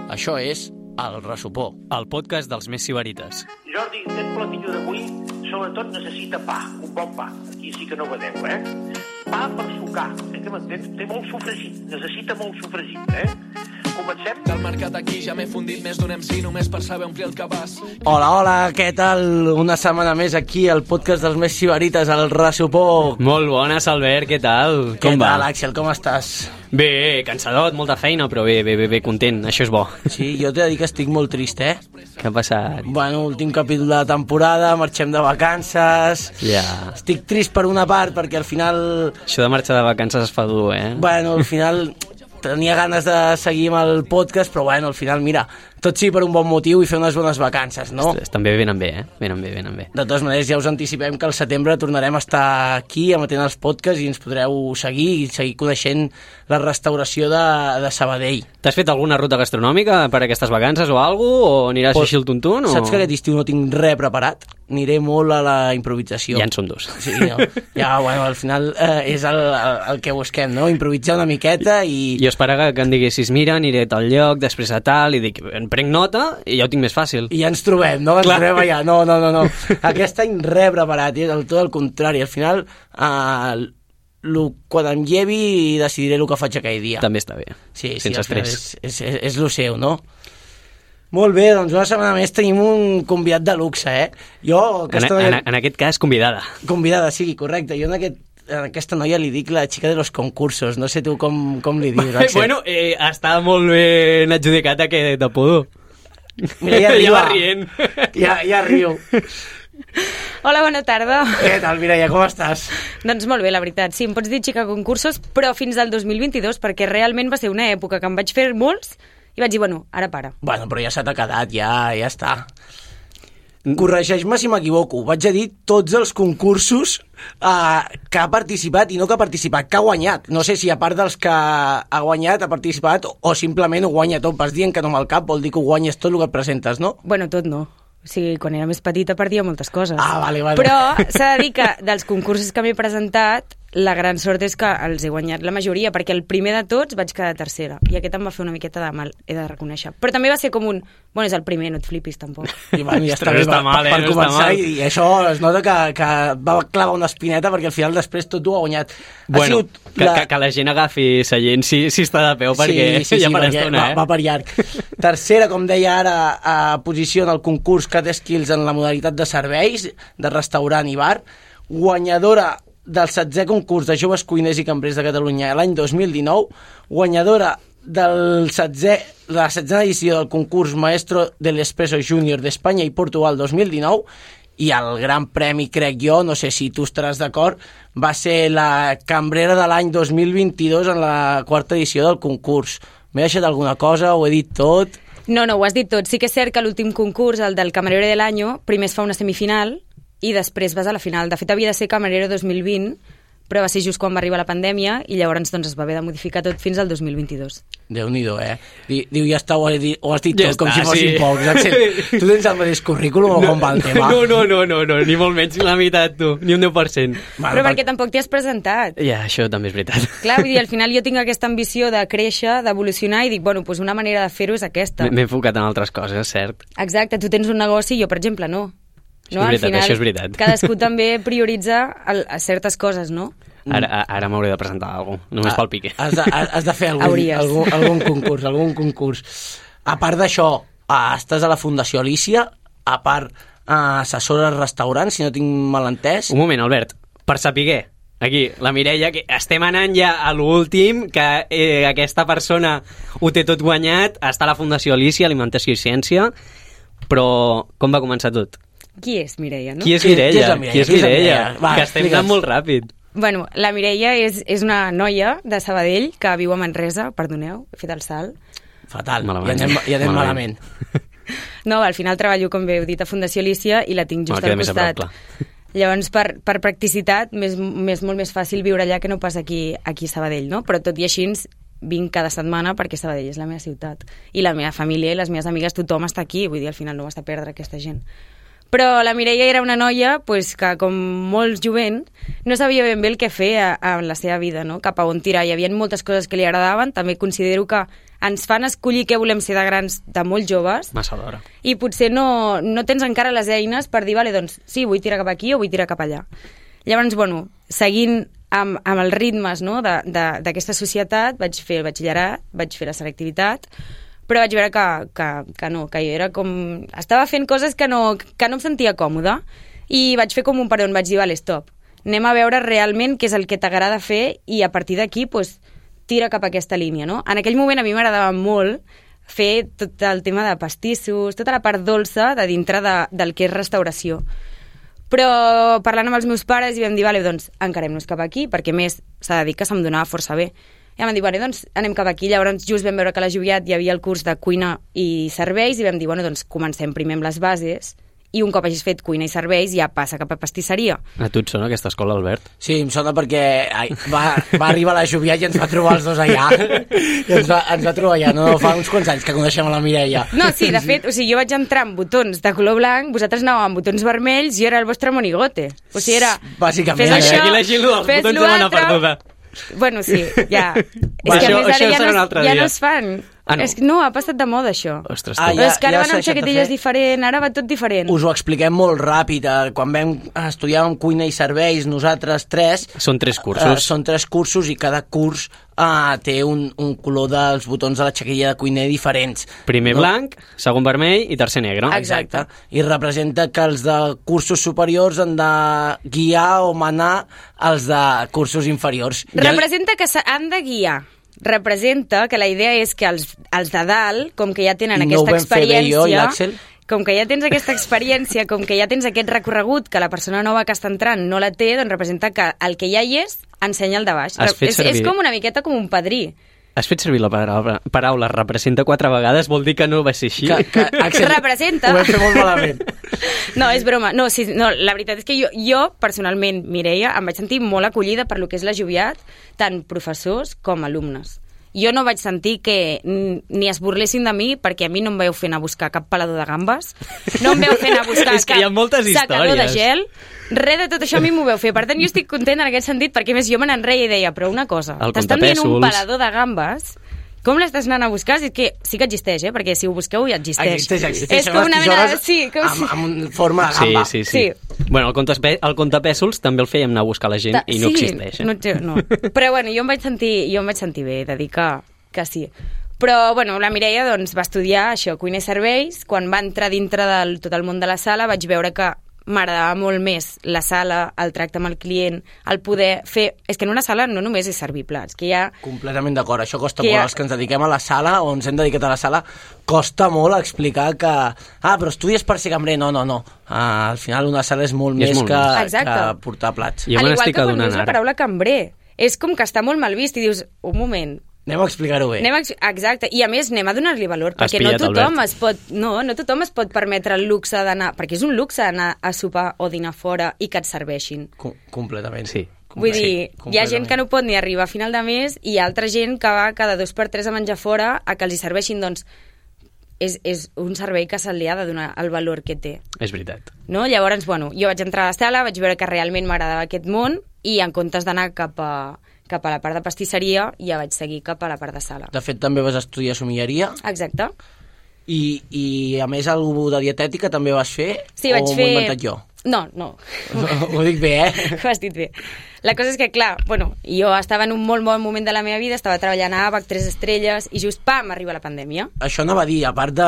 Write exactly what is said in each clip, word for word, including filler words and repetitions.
Això és El Ressupó, el podcast dels més sibarites. Jordi, aquest platillo d'avui sobretot necessita pa, un bon pa. Aquí sí que no vedeu, eh? Pa per sucar, eh, que m'entens? Té molt sofregit, necessita molt sofregit, eh? Comencem? Del mercat aquí ja m'he fundit més d'un M C només per saber omplir el cabàs. Hola, hola, què tal? Una setmana més aquí al podcast dels més sibarites, El Ressupó. Molt bones, Albert, què tal? Què Com tal, va? Axel, com estàs? Bé, cansadot, molta feina, però bé, bé, bé, bé, content, això és bo. Sí, jo t'he de dir que estic molt trist, eh? Què ha passat? Bueno, últim capítol de la temporada, marxem de vacances... Ja. Estic trist per una part, perquè al final... Això de marxar de vacances es fa dur, eh? Bueno, al final tenia ganes de seguir amb el podcast, però bueno, al final, mira, tot sí per un bon motiu i fer unes bones vacances, no? Ostres, també venen bé, eh? Venen bé, venen bé. De totes maneres, ja us anticipem que al setembre tornarem a estar aquí emetent els podcasts i ens podreu seguir i seguir coneixent la restauració de, de Sabadell. T'has fet alguna ruta gastronòmica per aquestes vacances o alguna cosa? O aniràs Pues, així al tuntun? O... Saps que aquest estiu no tinc res preparat? Aniré molt a la improvisació. Ja en són dos. Sí, no? Ja, bueno, al final eh, és el, el, el que busquem, no? Improvisar una miqueta i... Jo esperava que em diguessis, mira, aniré a tal lloc, després a tal, i dic, en prenc nota i ja ho tinc més fàcil. I ja ens trobem, no? Ens Clar. trobem allà. No, no, no, no. Aquest any res preparat, i del tot el contrari. Al final, eh, lo, quan em llevi, decidiré el que faig aquell dia. També està bé, Sí, sí, sense al final estrès. és, és, és, és lo seu, no? Molt bé, doncs una setmana més tenim un convidat de luxe, eh? Jo, En, aquesta en, noia... en aquest cas, convidada. Convidada, sí, correcte. Jo en, aquest, en aquesta noia li dic la xica de los concursos. No sé tu com, com li dius, Axel. Bueno, eh, està molt ben adjudicat aquest apodo. Mira, ja ja arriba. va rient. Ja, ja riu. Hola, bona tarda. Què tal, Mireia, com estàs? Doncs molt bé, la veritat. Sí, em pots dir xica concursos, però fins al dos mil vint-i-dos, perquè realment va ser una època que em vaig fer molts i vaig dir, bueno, ara para. Bueno, però ja se t'ha quedat, ja, ja està. Corregeix-me si m'equivoco. Vaig a dir tots els concursos eh, que ha participat i no que ha participat, que ha guanyat. No sé si a part dels que ha guanyat, ha participat o, o simplement ho guanya tot. Vas dient que no amb el cap vol dir que ho guanyes tot el que et presentes, no? Bueno, tot no. O sigui, quan era més petita perdia moltes coses. Ah, vale, vale. Però s'ha de dir que dels concursos que m'he presentat, la gran sort és que els he guanyat la majoria, perquè el primer de tots vaig quedar tercera, i aquest em va fer una miqueta de mal, he de reconèixer. Però també va ser com un... Bueno, és el primer, no et flipis, tampoc. I, bueno, ja està Ostres, bé, està per, mal, eh? per No està començar, mal. i, i això es nota que, que va clavar una espineta perquè al final després tot ho ha guanyat. Ha Bueno, sigut que, que, que la gent agafi seient si, si està de peu, perquè sí, sí, ja sí, per perquè estona, va, eh? va per llarg. Tercera, com deia ara, a posició en el concurs Cat Skills en la modalitat de serveis, de restaurant i bar, guanyadora del setzè concurs de joves cuiners i cambrers de Catalunya l'any dos mil dinou, guanyadora del setzè, la setzena edició del concurs Maestro del Espresso Júnior d'Espanya i Portugal dos mil dinou, i el gran premi, crec jo, no sé si tu estaràs d'acord, va ser la cambrera de l'any dos mil vint-i-dos en la quarta edició del concurs. M'he deixat alguna cosa? Ho he dit tot? No, no, ho has dit tot. Sí que és cert que l'últim concurs, el del Camarero de l'Any, primer es fa una semifinal i després vas a la final. De fet, havia de ser Camarero dos mil vint, però va ser just quan va arribar la pandèmia i llavors doncs, es va haver de modificar tot fins al dos mil vint-i-dos. Déu-n'hi-do, eh? Diu, ja està, ho has dit, ho has dit Ja tot, com està, si fossin sí. pocs. Axel, tu tens el mateix currículum o com va el tema? No, no, no, no, no, ni molt menys la meitat, tu, ni un deu per cent. Bueno, Però perquè tampoc t'hi has presentat. Ja, això també és veritat. Clar, vull dir, al final jo tinc aquesta ambició de créixer, d'evolucionar, i dic, bueno, doncs una manera de fer-ho és aquesta. M'he enfocat en altres coses, cert. Exacte, tu tens un negoci, jo, per exemple, no. Això no? és veritat, al final, això és veritat. Cadascú també prioritza el, a certes coses, no? Ara, ara m'hauré de presentar alguna cosa, només Ah, pel pique. Has de, has de fer algun, Hauries. algun, algun concurs, algun concurs. A part d'això, ah, estàs a la Fundació Alícia, a part ah, assessora als restaurants, si no tinc mal entès. Un moment, Albert, per sapiguer, aquí, la Mireia, que estem anant ja a l'últim, que eh, aquesta persona ho té tot guanyat, està a la Fundació Alícia, Alimentació i Ciència, però com va començar tot? Qui és Mireia, no? Qui és Qui- qui és Mireia? la Mireia? Qui és Qui és la Mireia? Mireia? Va, Que estem explica'ns. anant molt ràpid. Bueno, la Mireia és, és una noia de Sabadell que viu a Manresa, perdoneu, he fet el salt. Fatal, Malament. ja anem, ja anem Malament. malament. No, al final treballo, com bé heu dit, a Fundació Alícia i la tinc just Bueno, queda al més a prop, costat. clar. Llavors, per, per practicitat, m'és m'és molt més fàcil viure allà que no pas aquí, aquí a Sabadell, no? Però tot i així vinc cada setmana perquè Sabadell és la meva ciutat. I la meva família i les meves amigues, tothom està aquí, vull dir, al final no m'està a perdre aquesta gent. Però la Mireia era una noia pues, que, com molt jovent, no sabia ben bé el que fer a, a la seva vida, no? Cap a on tirar. Hi havia moltes coses que li agradaven. També considero que ens fan escollir què volem ser de grans de molt joves. Massa d'hora. I potser no, no tens encara les eines per dir, vale, doncs, sí, vull tirar cap aquí o vull tirar cap allà. Llavors, bueno, seguint amb, amb els ritmes no, d'aquesta societat, vaig fer el batxillerat, vaig fer la selectivitat, però vaig veure que, que, que no, que jo era com... Estava fent coses que no, que no em sentia còmoda i vaig fer com un peron, vaig dir, vale, stop, anem a veure realment què és el que t'agrada fer i a partir d'aquí, pues, tira cap a aquesta línia, no? En aquell moment a mi m'agradava molt fer tot el tema de pastissos, tota la part dolça de dintre de, del que és restauració. Però parlant amb els meus pares i vam dir, vale, doncs encarem-nos cap aquí, perquè més s'ha de dir que se'm donava força bé. I vam dir, vale, doncs anem cap aquí. Llavors just vam veure que a la Joviat hi havia el curs de cuina i serveis i vam dir, bueno, doncs comencem primer amb les bases i un cop hagis fet cuina i serveis ja passa cap a pastisseria. A tu et sona aquesta escola, Albert? Sí, em sona perquè ai, va, va arribar a la Joviat i ens va trobar els dos allà. I ens va, ens va trobar allà. No, fa uns quants anys que coneixem a la Mireia. No, sí, de fet, o sigui, jo vaig entrar amb botons de color blanc, vosaltres anàveu amb botons vermells, jo era el vostre monigote. O sigui, era... Bàsicament. Fes això, aquí la Gilu dels fes botons de dona l'altre. perduda. Bueno, sí, ja. És Va, que això- a més això ara ja serà un no, altre ja dia. no es fan. Ah, no? És que no, ha passat de moda, això. Ostres, Ah, tu. ja- És que ara ja van s'ha amb deixat de xaquetilles fer. diferent, ara va tot diferent. Us ho expliquem molt ràpid. eh, Quan vam estudiar en cuina i serveis, nosaltres tres... Són tres cursos. Eh, són tres cursos i cada curs eh, té un, un color dels botons de la xaquilla de cuiner diferents. Primer No? blanc, segon vermell i tercer negre. Exacte. I representa que els de cursos superiors han de guiar o manar els de cursos inferiors. Representa que s'han de guiar. Representa que la idea és que els, els de dalt, com que ja tenen I no ho aquesta vam fer bé jo i experiència... l'Àxel? Com que ja tens aquesta experiència, com que ja tens aquest recorregut que la persona nova que està entrant no la té, doncs representa que el que ja hi és ensenya el de baix. Has fet És, servir- és com una miqueta com un padrí. Has fet servir la paraula, paraula representa quatre vegades, vol dir que no va ser així? Que, que, Axel, Representa. Ho vam fer molt malament. No, és broma. No, sí, no, la veritat és que jo, jo personalment, Mireia, em vaig sentir molt acollida per lo que és la Joviat, tant professors com alumnes. Jo no vaig sentir que ni es burlessin de mi perquè a mi no em veu fer anar a buscar cap pelador de gambes, no em veu fer anar a buscar És que cap hi ha moltes secador de històries. gel, res de tot això a mi m'ho veu fer. Per tant, jo estic content en aquest sentit perquè a més jo me n'enreia i deia, però una cosa, El t'estan dient un comptapèsols. pelador de gambes, com l'estàs anant a buscar? És que sí que existeix, eh? Perquè si ho busqueu ja existeix. Existeix, existeix. És com una mena de... Sí, com amb, amb forma de Sí, gamba. sí, sí. Sí. Bueno, el, comptapè- el comptapèsols també el fèiem anar a buscar la gent Ta- i no sí, existeix. Eh? No, té- no. Però bueno, jo em vaig sentir, jo em vaig sentir bé de dir que, que sí. Però bueno, la Mireia doncs, va estudiar això, cuina i serveis. Quan va entrar dintre del tot el món de la sala vaig veure que m'agradava molt més la sala, el tracte amb el client, el poder fer... És que en una sala no només és servir plats, que hi ha... Completament d'acord, això costa Que molt. ja- Els que ens dediquem a la sala o ens hem dedicat a la sala, costa molt explicar que... Ah, però estudies per ser cambrer. No, no, no. Ah, al final una sala és molt I és més molt que, més. Exacte. que portar plats. Jo Al me igual n'estic que quan adonant dius la ara. paraula cambrer. És com que està molt mal vist i dius, un moment, Anem a explicar-ho bé. anem a... Exacte, i a més anem a donar-li valor, Has perquè no pillat, tothom, Albert. es pot, no, no tothom es pot permetre el luxe d'anar... Perquè és un luxe anar a sopar o dinar fora i que et serveixin. Com completament. Sí. Vull Sí, dir, hi ha gent que no pot ni arribar a final de mes i hi ha altra gent que va cada dos per tres a menjar fora a que els hi serveixin, doncs és, és un servei que se li ha de donar el valor que té. És veritat. No? Llavors, bueno, jo vaig entrar a la sala, vaig veure que realment m'agradava aquest món i en comptes d'anar cap a, cap a la part de pastisseria, ja vaig seguir cap a la part de sala. De fet, també vas estudiar somilleria Exacte. i, i a més, algú de dietètica també vas fer? Sí, vaig o fer... m'ho he inventat jo? No, no. Ho dic bé, eh? Ho has dit bé. La cosa és que, clar, bueno, jo estava en un molt bon moment de la meva vida, estava treballant a ABAC, tres estrelles, i just, pam, arriba la pandèmia. Això anava a dir, a part de,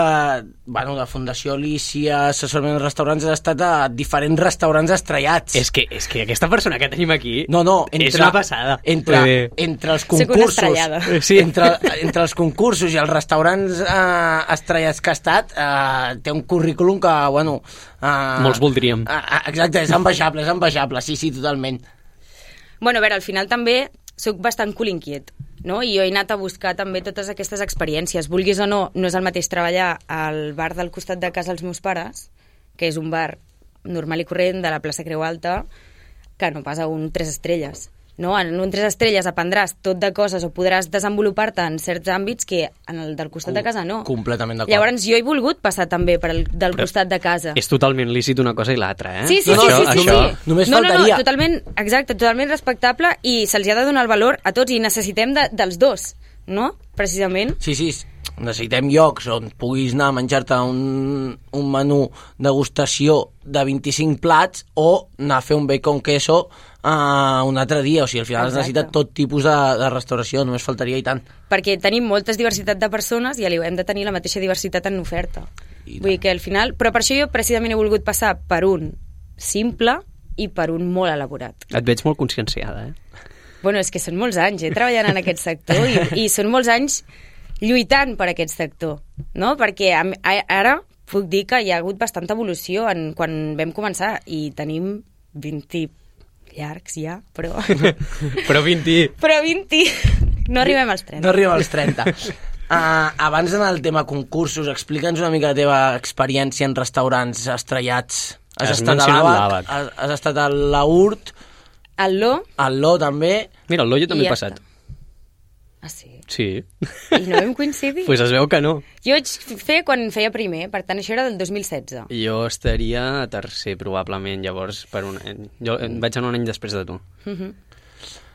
bueno, de Fundació Alicia, assessorament de restaurants, has estat a diferents restaurants estrellats. És que, és que aquesta persona que tenim aquí No, no, entre, és una passada. Entre, Vull dir, entre els Soc una concursos, estrellada. Sí. entre, entre els concursos i els restaurants eh, estrellats que ha estat, eh, té un currículum que, bueno... Eh, Molts voldríem. Eh, exacte, és envejable, és envejable, sí, sí, totalment. Bueno, a veure, al final també sóc bastant cul inquiet, no? I jo he anat a buscar també totes aquestes experiències. Vulguis o no, no és el mateix treballar al bar del costat de casa dels meus pares, que és un bar normal i corrent de la plaça Creu Alta, que no pas a un tres estrelles. no? En un tres estrelles aprendràs tot de coses o podràs desenvolupar-te en certs àmbits que en el del costat de casa no. Completament d'acord. Llavors jo he volgut passar també per el del Però costat de casa. És totalment lícit una cosa i l'altra, eh? Sí, sí, No, sí, no, sí, això- sí, això- sí. només no, no, faltaria. no, totalment, exacte, totalment respectable i se'ls ha de donar el valor a tots i necessitem de, dels dos, no? Precisament. Sí, sí, necessitem llocs on puguis anar a menjar-te un, un menú degustació de vint-i-cinc plats o anar a fer un bacon queso uh, un altre dia. O sigui, al final Exacte. es necessita tot tipus de, de restauració, només faltaria i tant. Perquè tenim moltes diversitat de persones i hem de tenir la mateixa diversitat en oferta. I Vull dir que al final... Però per això jo precisament he volgut passar per un simple i per un molt elaborat. Et veig molt conscienciada, eh? Bueno, és que són molts anys, eh, treballant en aquest sector i, i són molts anys lluitant per aquest sector, no? Perquè a, a, ara puc dir que hi ha hagut bastanta evolució en, quan vam començar i tenim vint llargs ja, però... Però vint... però vint... No arribem als trenta. No arribem als trenta. Uh, abans d'anar al tema concursos, explica'ns una mica la teva experiència en restaurants estrellats. Has, Has estat a mencionat l'Àbac, l'Àbac. has, has estat a l'Aurt, El Lo... al Lo també. Mira, el Lo jo també I he ja passat. està. Ah, sí? Sí. I no vam coincidir? Pues es veu que no. Jo vaig fer quan feia primer, per tant això era del dos mil setze. Jo estaria a tercer, probablement, llavors, per un any. Jo eh, vaig anar un any després de tu. Uh -huh.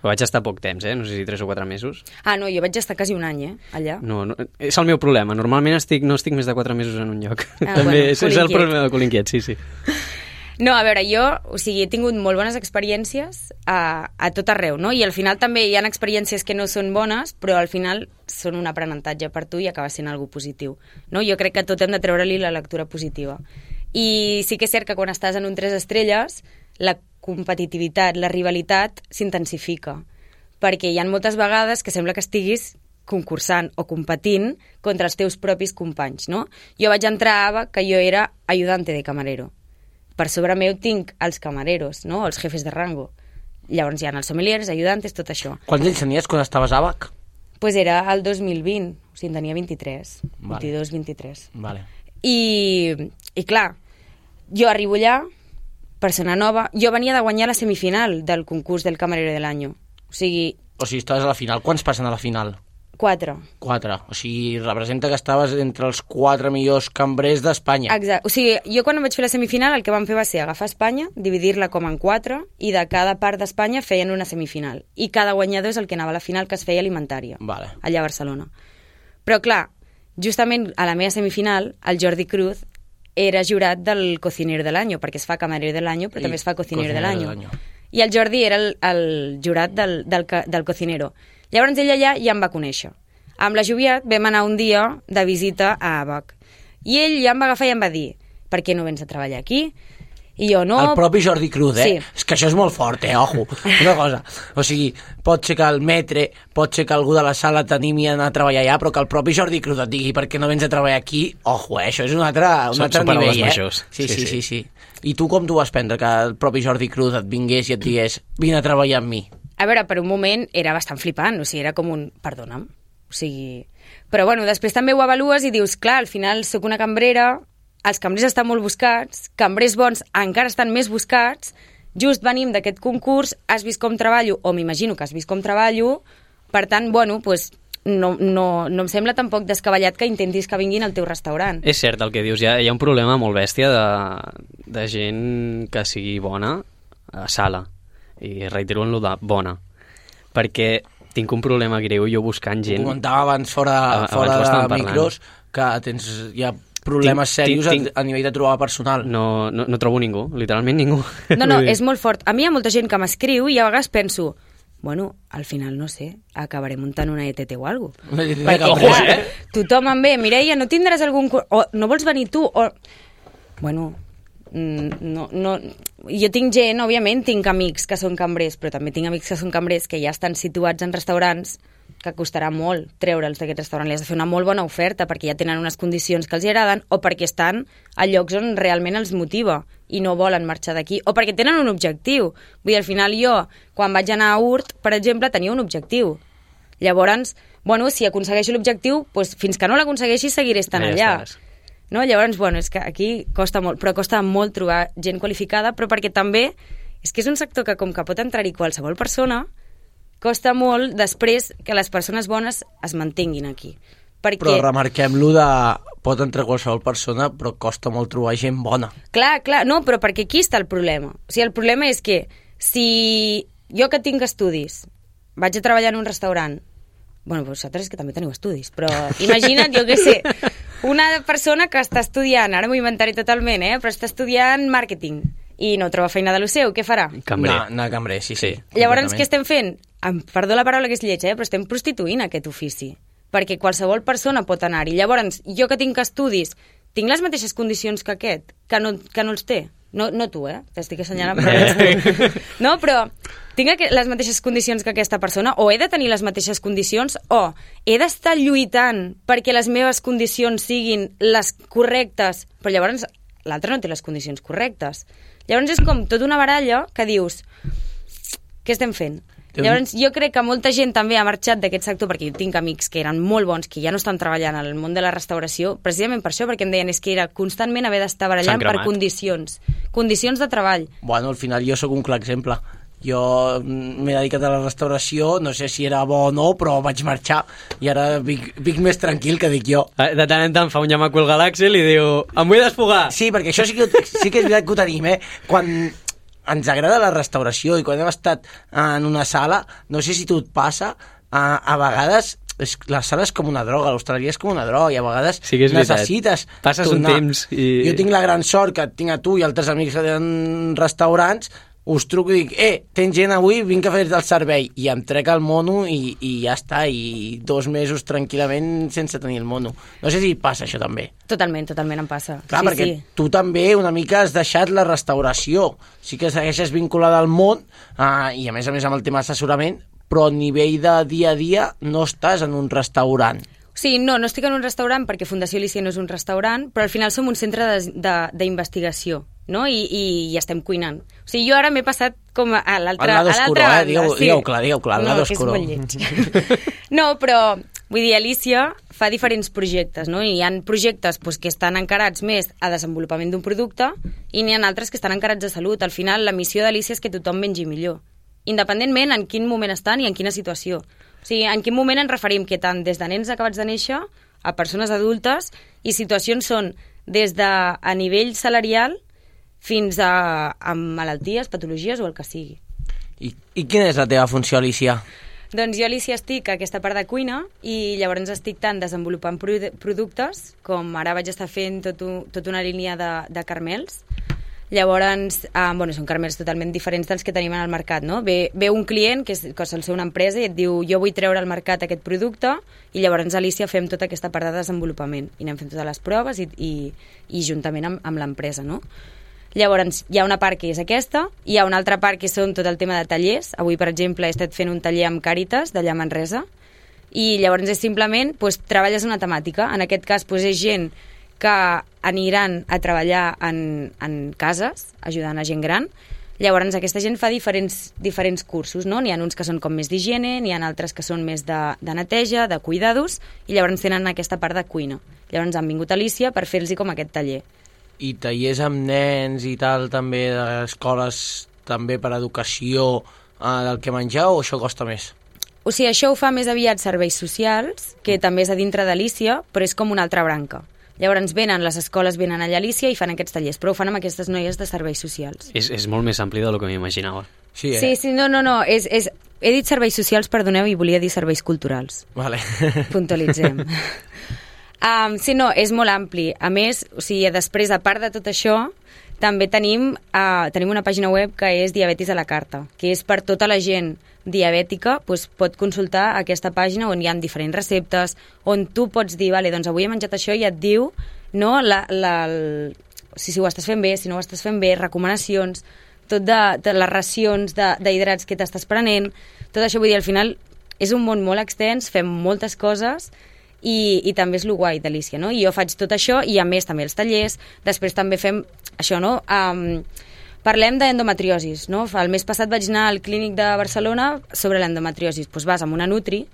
Però vaig estar poc temps, eh? No sé si tres o quatre mesos. Ah, no, jo vaig estar quasi un any, eh, allà. No, no, és el meu problema. Normalment estic, no estic més de quatre mesos en un lloc. Ah, També bueno, és, és el colinquiet. problema de Colinquiet, sí, sí. No, a veure, jo, o sigui, he tingut molt bones experiències a, a tot arreu, no? I al final també hi ha experiències que no són bones, però al final són un aprenentatge per tu i acaba sent algo positiu, no? Jo crec que tot hem de treure-li la lectura positiva. I sí que és cert que quan estàs en un tres estrelles, la competitivitat, la rivalitat s'intensifica, perquè hi ha moltes vegades que sembla que estiguis concursant o competint contra els teus propis companys, no? Jo vaig entrar a Ava que jo era ayudante de camarero. Per sobre meu tinc els camareros, no? Els jefes de rango. Llavors hi ha els sommeliers, ajudantes, tot això. Quants anys tenies quan estaves a Àbac? Pues era el dos mil vint, o sigui, en tenia vint-i-tres, Vale. vint-i-dos, vint-i-tres. Vale. I, I clar, jo arribo allà, persona nova, jo venia de guanyar la semifinal del concurs del camarero de l'any. O sigui, O sigui, estaves a la final. Quants passen a la final? quatre. Quatre. O sigui, representa que estaves entre els quatre millors cambrers d'Espanya. Exacte. O sigui, jo quan vaig fer la semifinal el que vam fer va ser agafar Espanya, dividir-la com en quatre i de cada part d'Espanya feien una semifinal. I cada guanyador és el que anava a la final, que es feia alimentària, Vale. allà a Barcelona. Però clar, justament a la meva semifinal, el Jordi Cruz era jurat del cocinero de l'any, perquè es fa camarero de l'any, però I també es fa cocinero, cocinero de de l'any. l'any. I el Jordi era el, el jurat del, del, ca- del cocinero. Llavors ell allà ja em va conèixer. Amb la Joviat vam anar un dia de visita a Àbac. I ell ja em va agafar i em va dir per què no vens a treballar aquí? I jo no... El propi Jordi Cruz, eh? Sí. És que això és molt fort, eh? Ojo. Una cosa. O sigui, pot ser que el metre, pot ser que algú de la sala t'animi a anar a treballar allà, però que el propi Jordi Cruz et digui per què no vens a treballar aquí, ojo, eh? Això és un altre, un Són- altre són paraules nivell, eh? majors. Sí sí Sí, sí, sí. sí, sí. I tu com t'ho vas prendre, que el propi Jordi Cruz et vingués i et digués vine a treballar amb mi? A veure, per un moment era bastant flipant, o sigui, era com un... Perdona'm. O sigui... Però bueno, després també ho avalues i dius, clar, al final sóc una cambrera, els cambrers estan molt buscats, cambrers bons encara estan més buscats, just venim d'aquest concurs, has vist com treballo, o m'imagino que has vist com treballo, per tant, bueno, pues, no, no, no em sembla tampoc descabellat que intentis que vinguin al teu restaurant. És cert el que dius, hi ha, hi ha un problema molt bèstia de, de gent que sigui bona a sala, i reitero en lo de bona, perquè tinc un problema greu jo buscant gent... Ho comentava abans fora, Abans fora ho de estàvem parlant. micros que tens, hi ha problemes Tinc- serios tinc- a, a nivell de trobar personal. No, no, no trobo ningú, literalment ningú. No, no, Vull dir, és molt fort. A mi hi ha molta gent que m'escriu i a vegades penso, bueno, al final, no sé, acabaré muntant una E T T o alguna cosa. Una E T T Perquè, cambrers, clar, eh? tothom em ve, Mireia, no tindràs algun... cur- O no vols venir tu? O... Bueno, mm, no, no... Jo tinc gent, òbviament, tinc amics que són cambrers, però també tinc amics que són cambrers que ja estan situats en restaurants que costarà molt treure'ls d'aquest restaurant. Li has de fer una molt bona oferta perquè ja tenen unes condicions que els hi agraden o perquè estan a llocs on realment els motiva i no volen marxar d'aquí o perquè tenen un objectiu. Vull dir, al final jo, quan vaig anar a Urt, per exemple, tenia un objectiu. Llavors, bueno, si aconsegueixo l'objectiu, doncs fins que no l'aconsegueixi seguiré estant Allà allà. estàs. No? Llavors, bueno, és que aquí costa molt, però costa molt trobar gent qualificada, però perquè també és que és un sector que com que pot entrar-hi qualsevol persona, costa molt després que les persones bones es mantinguin aquí. Perquè... Però remarquem-lo de... Pot entrar qualsevol persona, però costa molt trobar gent bona. Clar, clar, no, però perquè aquí està el problema. O sigui, el problema és que si jo que tinc estudis vaig a treballar en un restaurant, bueno, vosaltres és que també teniu estudis, però imagina't, jo què sé, una persona que està estudiant, ara m'ho inventaré totalment, eh, però està estudiant màrqueting i no troba feina de lo seu, què farà? Cambrer. No, no, cambrer, sí, sí. Llavors, què estem fent? Em, perdó la paraula que és lletja, eh, però estem prostituint aquest ofici. Perquè qualsevol persona pot anar-hi. Llavors, jo que tinc estudis, tinc les mateixes condicions que aquest, que no, que no els té. No, no tu, eh? T'estic assenyalant, però no tu. No, però tinc les mateixes condicions que aquesta persona, o he de tenir les mateixes condicions, o he d'estar lluitant perquè les meves condicions siguin les correctes, però llavors l'altre no té les condicions correctes. Llavors és com tota una baralla que dius, què estem fent? Llavors, jo crec que molta gent també ha marxat d'aquest sector, perquè jo tinc amics que eren molt bons, que ja no estan treballant al món de la restauració, precisament per això, perquè em deien és que era constantment haver d'estar barallant per condicions. Condicions de treball. Bueno, al final jo sóc un clar exemple. Jo m'he dedicat a la restauració, no sé si era bo o no, però vaig marxar i ara vic, vic més tranquil, que dic jo. De tant en tant fa un llamaco al Galàxil i diu, em vull desfogar. Sí, perquè això sí que, sí que és veritat que ho tenim, eh? Quan ens agrada la restauració i quan hem estat en una sala, no sé si tu et passa, a, a vegades és, la sala és com una droga, l'hostaleria és com una droga i a vegades sí que és necessites veritat. Passes tornar. un temps i... Jo tinc la gran sort que et tinc a tu i altres amics que tenen restaurants, us truco i dic, eh, tens gent avui, vinc a fer-te el servei, i em trec el mono i, i ja està, i dos mesos tranquil·lament sense tenir el mono. No sé si passa això també. Totalment, totalment em passa. Clar, sí, perquè sí. tu també una mica has deixat la restauració, sí que segueixes vinculada al món, eh, i a més a més amb el tema d'assessorament, però a nivell de dia a dia no estàs en un restaurant. Sí, no, no estic en un restaurant perquè Fundació Alícia no és un restaurant, però al final som un centre d'investigació, no? I, i, i estem cuinant. O sigui, jo ara m'he passat com a l'altra banda. Eh? Digueu, sí. digueu clar, digueu clar, no, lado que és oscuro. molt lleig. No, però, vull dir, Alícia fa diferents projectes, no? I hi ha projectes pues, que estan encarats més a desenvolupament d'un producte i n'hi ha altres que estan encarats a salut. Al final, la missió d'Alícia és que tothom mengi millor, independentment en quin moment estan i en quina situació. O sigui, en quin moment ens referim que tant des de nens acabats de néixer a persones adultes i situacions són des de a nivell salarial fins a, a malalties, patologies o el que sigui. I, I quina és la teva funció, Alícia? Doncs jo, Alícia, estic a aquesta part de cuina i llavors estic tant desenvolupant productes com ara vaig estar fent tot un, tota una línia de, de carmels. Llavors, eh, bueno, són carmels totalment diferents dels que tenim en el mercat, no? Ve, ve un client, que, és, que sol ser una empresa, i et diu, jo vull treure al mercat aquest producte, i llavors, Alícia, fem tota aquesta part de desenvolupament. I anem fent totes les proves i, i, i juntament amb, amb l'empresa, no? Llavors, hi ha una part que és aquesta, hi ha una altra part que són tot el tema de tallers. Avui, per exemple, he estat fent un taller amb Càritas, d'allà a Manresa, i llavors és simplement, pues, treballes una temàtica. En aquest cas, pues, és gent que aniran a treballar en, en cases, ajudant a gent gran. Llavors, aquesta gent fa diferents, diferents cursos, no? N'hi ha uns que són com més d'higiene, n'hi ha altres que són més de, de neteja, de cuidados, i llavors tenen aquesta part de cuina. Llavors han vingut a Alícia per fer-los com aquest taller. I tallers amb nens i tal, també d'escoles, també per educació eh, del que menjar, o això costa més? O sigui, això ho fa més aviat serveis socials, que també és a dintre d'Alícia, però és com una altra branca. Llavors venen, les escoles venen allà a Alícia i fan aquests tallers, però ho fan amb aquestes noies de serveis socials. És, és molt més ampli del que m'imaginava. Sí, eh? sí, sí, no, no, no, és, és, he dit serveis socials, perdoneu, i volia dir serveis culturals. Vale. Puntualitzem. um, sí, no, és molt ampli. A més, o sigui, després, a part de tot això, també tenim, uh, tenim una pàgina web que és Diabetis a la carta, que és per tota la gent diabètica, doncs pot consultar aquesta pàgina on hi ha diferents receptes, on tu pots dir, vale, doncs avui he menjat això i et diu, no, la, la, el, si, si ho estàs fent bé, si no ho estàs fent bé, recomanacions, tot de, de les racions d'hidrats que t'estàs prenent, tot això, vull dir, al final és un món molt extens, fem moltes coses i, i també és lo guai d'Alícia, no? I jo faig tot això i a més també els tallers, després també fem això, no? Um, Parlem d'endometriosis, no? El mes passat vaig anar al clínic de Barcelona sobre l'endometriosis. Doncs vas amb una Nutri,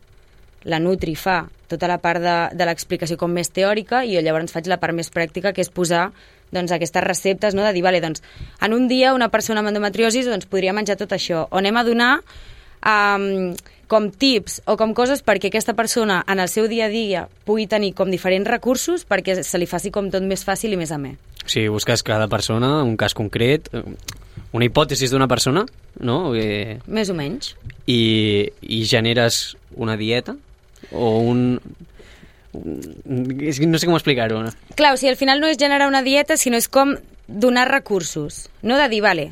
la Nutri fa tota la part de, de l'explicació com més teòrica i jo llavors faig la part més pràctica, que és posar doncs, aquestes receptes, no? De dir, vale, doncs, en un dia una persona amb endometriosis doncs, podria menjar tot això. O anem a donar um, com tips o com coses perquè aquesta persona en el seu dia a dia pugui tenir com diferents recursos perquè se li faci com tot més fàcil i més amè. O sigui, busques cada persona, un cas concret, una hipòtesi d'una persona, no? Eh, Més o menys. I, i generes una dieta o un... un no sé com explicar-ho. No? Clar, o sigui, al final no és generar una dieta, sinó és com donar recursos, no? De dir, vale,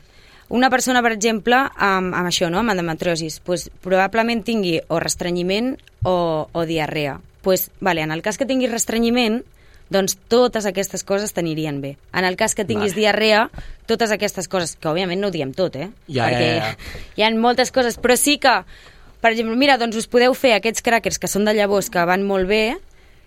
una persona, per exemple, amb, amb això, no? Amb endometriosis, pues, probablement tingui o restrenyiment o, o diarrea. Pues, vale, en el cas que tinguis restrenyiment, doncs totes aquestes coses t'anirien bé. En el cas que tinguis vale. diarrea, totes aquestes coses, que òbviament no ho diem tot, eh? Ja, perquè ja, ja. hi ha moltes coses, però sí que, per exemple, mira, doncs us podeu fer aquests crackers que són de llavors, que van molt bé,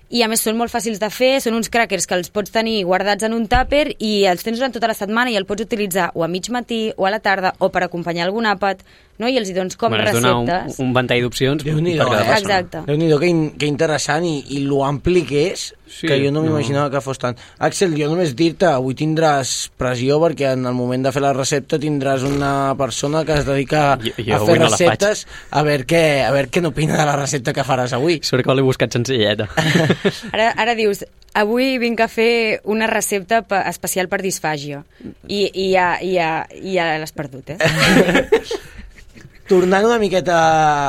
i a més són molt fàcils de fer, són uns crackers que els pots tenir guardats en un tàper i els tens durant tota la setmana i el pots utilitzar o a mig matí o a la tarda o per acompanyar algun àpat, no? I els hi dones com bueno, receptes. Un, un ventall d'opcions per cada persona. Exacte. Déu-n'hi-do, que, in, que interessant i, i lo ampli que és, sí, que jo no m'imaginava no. que fos tant. Axel, jo només dir-te, avui tindràs pressió perquè en el moment de fer la recepta tindràs una persona que es dedica jo, jo a fer receptes no a veure què, a veure què n'opina de la recepta que faràs avui. Sort que l'he buscat senzilleta. Ara, ara dius, avui vinc a fer una recepta especial per disfàgia i, i, ja, i, ja, i ja l'has perdut, eh? Tornant una miqueta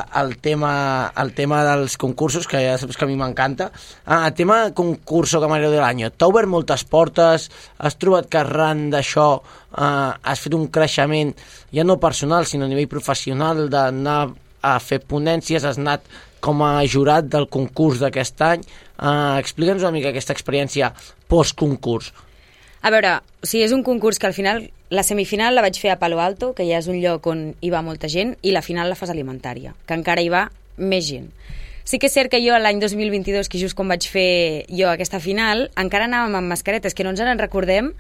al tema, al tema dels concursos, que ja saps que a mi m'encanta, ah, el tema concurso camarero de l'any, t'ha obert moltes portes, has trobat que arran d'això eh, has fet un creixement, ja no personal, sinó a nivell professional, d'anar a fer ponències, has anat com a jurat del concurs d'aquest any. Eh, explica'ns una mica aquesta experiència post-concurs. A veure, o sigui, és un concurs que al final, la semifinal la vaig fer a Palo Alto, que ja és un lloc on hi va molta gent, i la final la fas alimentària, que encara hi va més gent. Sí que és cert que jo l'any dos mil vint-i-dos, que just quan vaig fer jo aquesta final, encara anàvem amb mascaretes, que no ens en recordem,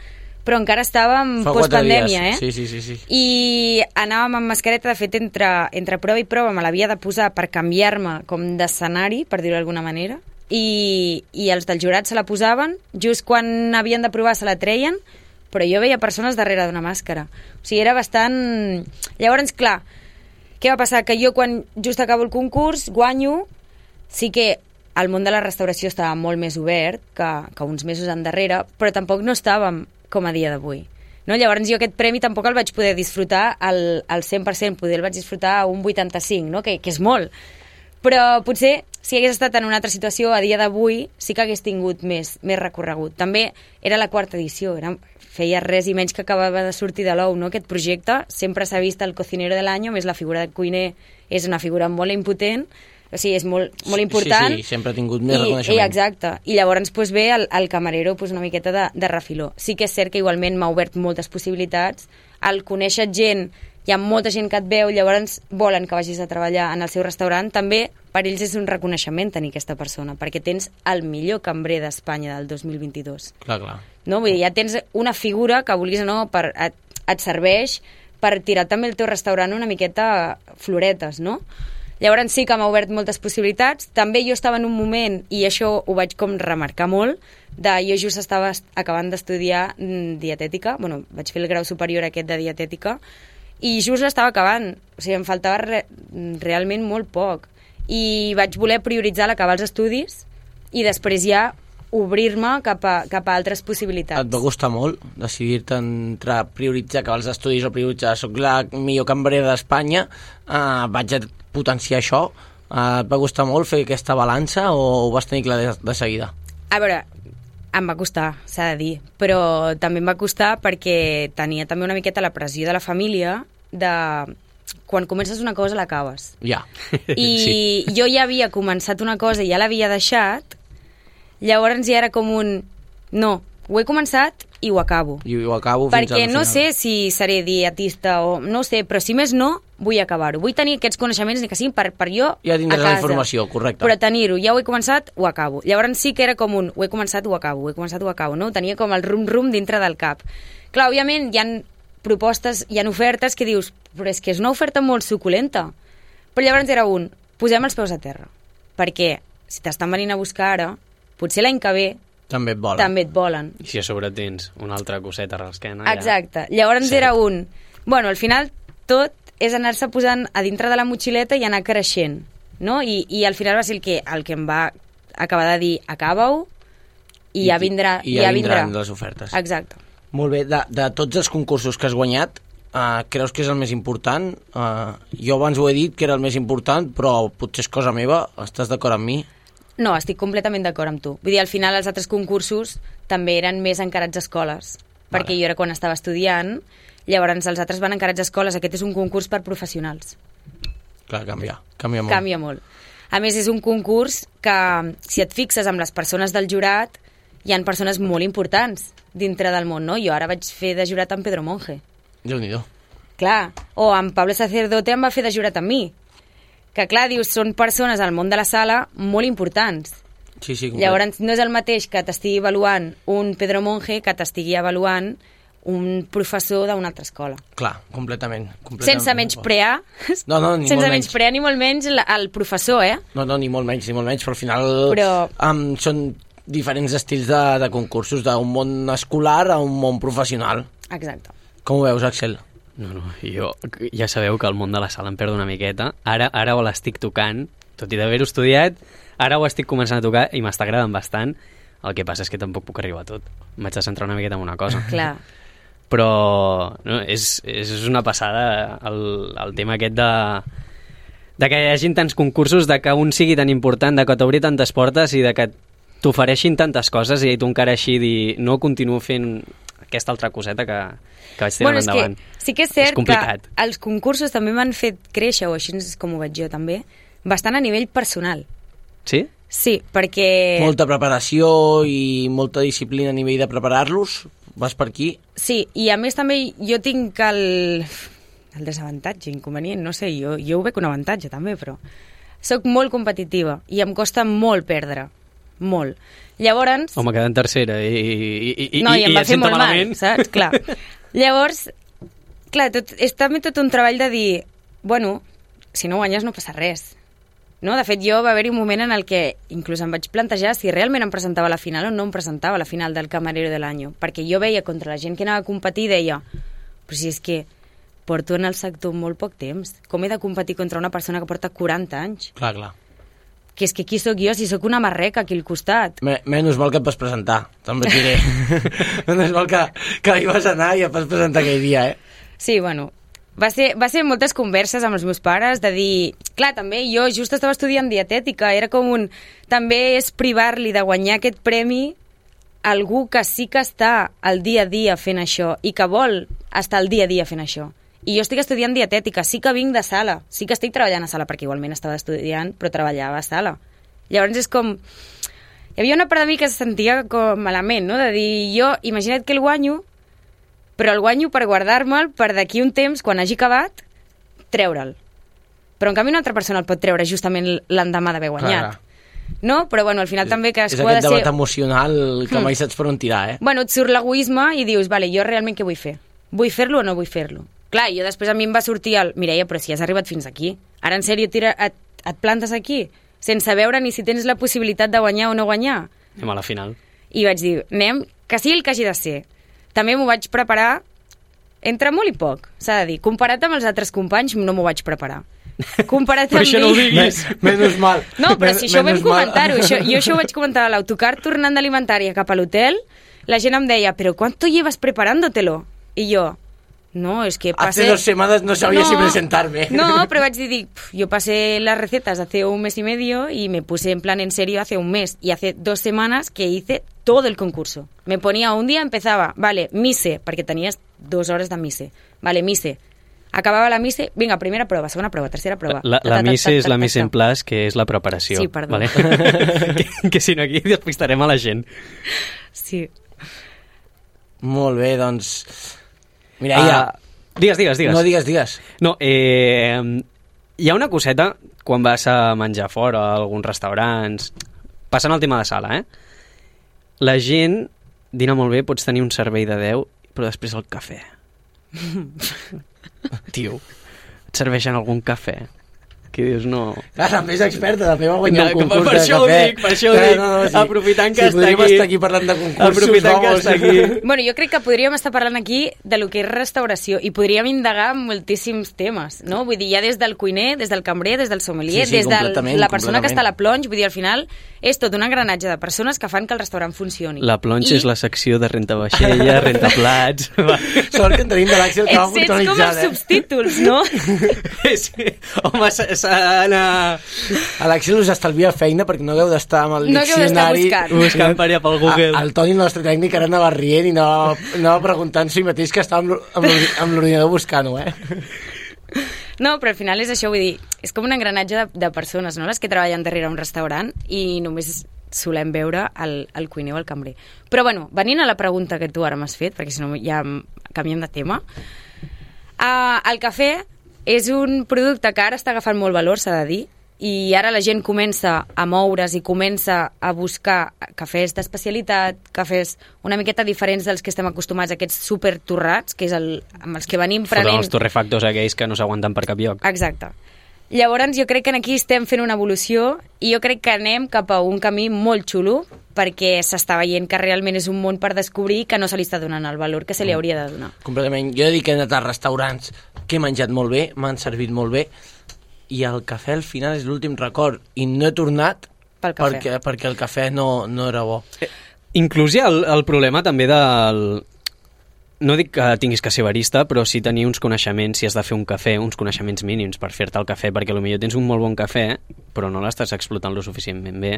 però encara estàvem postpandèmia, eh? Sí, sí, sí, sí. I anàvem amb mascareta, de fet, entre, entre prova i prova me l'havia de posar per canviar-me com d'escenari, per dir-ho d'alguna manera, i, i els del jurat se la posaven, just quan havien de provar se la treien, però jo veia persones darrere d'una màscara. O sigui, era bastant... Llavors, clar, què va passar? Que jo, quan just acabo el concurs, guanyo, sí que el món de la restauració estava molt més obert que, que uns mesos endarrere, però tampoc no estàvem com a dia d'avui. No? Llavors jo aquest premi tampoc el vaig poder disfrutar al, al cent per cent, poder el vaig disfrutar a un vuitanta-cinc, no? que, que és molt. Però potser, si hagués estat en una altra situació a dia d'avui, sí que hagués tingut més, més recorregut. També era la quarta edició, era, feia res i menys que acabava de sortir de l'ou, no? Aquest projecte sempre s'ha vist el cocinero de l'any, més la figura de cuiner és una figura molt impotent, o sigui, és molt, molt important. Sí, sí, sempre ha tingut més I, reconeixement. I, exacte, i llavors pues, ve el, el camarero pues, una miqueta de, de refiló. Sí que és cert que igualment m'ha obert moltes possibilitats, al conèixer gent, hi ha molta gent que et veu, llavors volen que vagis a treballar en el seu restaurant, també per ells és un reconeixement tenir aquesta persona, perquè tens el millor cambrer d'Espanya del dos mil vint-i-dos. Clar, clar. No? Vull dir, ja tens una figura que vulguis o no, per, et, et serveix per tirar també el teu restaurant una miqueta floretes, no? Llavors sí que m'ha obert moltes possibilitats. També jo estava en un moment, i això ho vaig com remarcar molt, de jo just estava acabant d'estudiar dietètica, bueno, vaig fer el grau superior aquest de dietètica, i just l'estava acabant, o sigui, em faltava re, realment molt poc. I vaig voler prioritzar l'acabar els estudis i després ja obrir-me cap a, cap a altres possibilitats. Et va costar molt decidir-te entre prioritzar acabar els estudis o prioritzar soc la millor cambrera d'Espanya, uh, vaig a potenciar això, uh, et va costar molt fer aquesta balança o ho vas tenir clar de, de seguida? A veure, em va costar, s'ha de dir, però també em va costar perquè tenia també una miqueta la pressió de la família de... Quan comences una cosa l'acabes. Ja. I sí. Jo ja havia començat una cosa i ja l'havia deixat, llavors ja era com un... No, ho he començat i ho acabo. I ho acabo fins perquè al no final. sé si seré dietista o... No ho sé, però si més no, vull acabar-ho. Vull tenir aquests coneixements, ni que siguin per, per jo ja a tindràs casa. La informació, correcte. Però tenir-ho, ja ho he començat, ho acabo. Llavors sí que era com un... Ho he començat, ho acabo, ho he començat, ho acabo, no? Tenia com el rum-rum dintre del cap. Clar, òbviament hi ha propostes, hi ha ofertes que dius, però és que és una oferta molt suculenta. Però llavors era un, posem els peus a terra. Perquè si t'estan venint a buscar ara, potser l'any que ve també et volen. També et volen. I si a sobre tens una altra coseta a l'esquena... Exacte. Ja... Llavors Cert. Era un... Bueno, al final tot és anar-se posant a dintre de la motxileta i anar creixent. no? I, i al final va ser el que, el que em va acabar de dir acaba-ho i, I ja vindrà. I ja, ja vindrà vindran les ofertes. Exacte. Molt bé, de, de tots els concursos que has guanyat, uh, creus que és el més important? Uh, jo abans ho he dit que era el més important, però potser és cosa meva, estàs d'acord amb mi? No, estic completament d'acord amb tu. Vull dir, al final els altres concursos també eren més encarats a escoles, vale. Perquè jo era quan estava estudiant, llavors els altres van encarats a escoles. Aquest és un concurs per professionals. Clar, canvia, canvia molt. Canvia molt. A més, és un concurs que, si et fixes amb les persones del jurat, hi han persones molt importants dintre del món, no? Jo ara vaig fer de jurat amb Pedro Monge. Déu-n'hi-do. Clar, o amb Pablo Sacerdote em va fer de jurat amb mi. Que clar, dius, són persones al món de la sala molt importants. Sí, sí, complet. Llavors, no és el mateix que t'estigui avaluant un Pedro Monge que t'estigui avaluant un professor d'una altra escola. Clar, completament. completament. Sense menysprear, no, no, ni sense molt menys. menysprear ni molt menys el, el professor, eh? No, no, ni molt menys, ni molt menys, però al final però... um, són diferents estils de, de concursos, d'un món escolar a un món professional. Exacte. Com ho veus, Axel? No, no, jo ja sabeu que el món de la sala em perdo una miqueta. Ara, ara ho l'estic tocant, tot i d'haver-ho estudiat, ara ho estic començant a tocar i m'està agradant bastant. El que passa és que tampoc puc arribar a tot. M'haig de centrar una miqueta en una cosa. Clar. Però no, és, és una passada el, el tema aquest de, de que hi hagi tants concursos, de que un sigui tan important, de que t'obri tantes portes i de que t'ofereixin tantes coses i tu encara així dir no continuo fent aquesta altra coseta que, que vaig tirar bueno, endavant. Que sí que és cert és complicat. Que els concursos també m'han fet créixer, o així és com ho veig jo també, bastant a nivell personal. Sí? Sí, perquè... Molta preparació i molta disciplina a nivell de preparar-los. Vas per aquí? Sí, i a més també jo tinc el, el desavantatge, inconvenient, no sé, jo, jo ho veig un avantatge també, però soc molt competitiva i em costa molt perdre, molt. Llavors... Home, quedant tercera i, i, i, no, i, i, em i va fer molt malament. mal, saps? Clar. Llavors, clar, tot, és també tot un treball de dir, bueno, si no guanyes no passa res. No? De fet, jo va haver-hi un moment en el que inclús em vaig plantejar si realment em presentava a la final o no em presentava a la final del Camarero de l'Any, perquè jo veia contra la gent que anava a competir i deia, però si és que porto en el sector molt poc temps, com he de competir contra una persona que porta quaranta anys? Clar, clar. Que és que qui sóc jo si sóc una marreca aquí al costat? Me, menys mal que et vas presentar, també et diré. Menys mal que, que hi vas anar i et vas presentar aquell dia, eh? Sí, bueno, va ser, va ser moltes converses amb els meus pares de dir... Clar, també jo just estava estudiant dietètica, era com un... També és privar-li de guanyar aquest premi a algú que sí que està al dia a dia fent això i que vol estar al dia a dia fent això. I jo estic estudiant dietètica, sí que vinc de sala, sí que estic treballant a sala, perquè igualment estava estudiant, però treballava a sala. Llavors és com... Hi havia una part de mi que se sentia com malament, no? De dir, jo, imagina't que el guanyo, però el guanyo per guardar-me'l per d'aquí un temps, quan hagi acabat, treure'l. Però en canvi una altra persona el pot treure justament l'endemà d'haver guanyat. Clar. No? Però bueno, al final és, també cadascú ha de ser... És aquest debat ser... emocional que mai saps per on tirar, eh? Bueno, et surt l'egoisme i dius, vale, jo realment què vull fer? Vull fer-lo o no vull fer-lo? Clar, jo després a mi em va sortir el... Mireia, però si has arribat fins aquí. Ara, en sèrio, tira, et, et plantes aquí? Sense veure ni si tens la possibilitat de guanyar o no guanyar? Anem a la final. I vaig dir, anem, que sigui el que hagi de ser. També m'ho vaig preparar entre molt i poc, s'ha de dir. Comparat amb els altres companys, no m'ho vaig preparar. Comparat però amb això mi... no ho diguis. Menys mal. No, però si això ho vam Menys mal. comentar-ho. Això, jo això ho vaig comentar a l'autocar tornant d'alimentària cap a l'hotel. La gent em deia, però ¿cuánto llevas preparándotelo? I jo... No, es que pasé... Hace dos semanas no sabía no, si presentarme. No, pero vaig dir, yo pasé las recetas hace un mes y medio y me puse en plan en serio hace un mes. Y hace dos semanas que hice todo el concurso. Me ponía un día, empezaba, vale, mise, perquè tenies dos hores de mise. Vale, mise. Acabava la mise, vinga, primera prova, segona prova, tercera prova. La, la, la mise és la mise en place, que és la preparació. Sí, perdó. Vale? que, que si no aquí despistarem a la gent. Sí. Molt bé, doncs... Mireia... Uh, digues, digues, digues. No, digues, digues. No, eh, hi ha una coseta quan vas a menjar fora a alguns restaurants, passant el tema de sala, eh? La gent dina molt bé, pots tenir un servei de deu, però després el cafè. Tio, et serveixen algun cafè? que dius, no... Clar, també és experta, també va guanyar No, un concurs per de això ho cafè. dic, per això ho dic. Aprofitant que si està podríem aquí. estar aquí parlant de concursos, Aprofitant que vamos. està aquí. Bueno, jo crec que podríem estar parlant aquí de lo que és restauració i podríem indagar moltíssims temes, no? Vull dir, ja des del cuiner, des del cambrer, des del sommelier, Sí, sí, des de completament, la persona que completament. està a la plonge, vull dir, al final és tot un engranatge de persones que fan que el restaurant funcioni. La plonge I és la secció de renta vaixella, renta plats... Sort que en tenim de l'Àxel que va Ets, ets com puntualitzant, els subtítols, no? sí. Home, s'ha d'anar eh? L'Àxel us estalvia feina perquè no hagueu d'estar amb el No hagueu d'estar diccionari... buscant. buscant per allà pel Google. A, el Toni, el nostre tècnic, ara anava rient i anava, anava preguntant si mateix que estava amb l'or- amb l'ordi- amb l'ordinador buscant-ho, eh? No, però al final és això, vull dir, és com un engranatge de, de persones, no?, les que treballen darrere un restaurant i només solem veure el, el cuiner o el cambrer. Però, bueno, venint a la pregunta que tu ara m'has fet, perquè si no ja canviem de tema, uh, el cafè és un producte que ara està agafant molt valor, s'ha de dir, i ara la gent comença a moure's i comença a buscar cafès d'especialitat, cafès una miqueta diferents dels que estem acostumats, aquests super torrats, que és el, amb els que venim Foren prenent... els torrefactors aquells que no s'aguanten per cap lloc. Exacte. Llavors jo crec que aquí estem fent una evolució i jo crec que anem cap a un camí molt xulo perquè s'està veient que realment és un món per descobrir que no se li està donant el valor que se li hauria de donar. Completament. Jo he dit que he anat a restaurants que he menjat molt bé, m'han servit molt bé, i el cafè al final és l'últim record, i no he tornat Pel cafè. perquè, perquè el cafè no, no era bo. Inclús hi ha el, el problema també del... No dic que tinguis que ser barista, però sí tenir uns coneixements, si has de fer un cafè, uns coneixements mínims per fer-te el cafè, perquè potser tens un molt bon cafè, però no l'estàs explotant lo suficientment bé,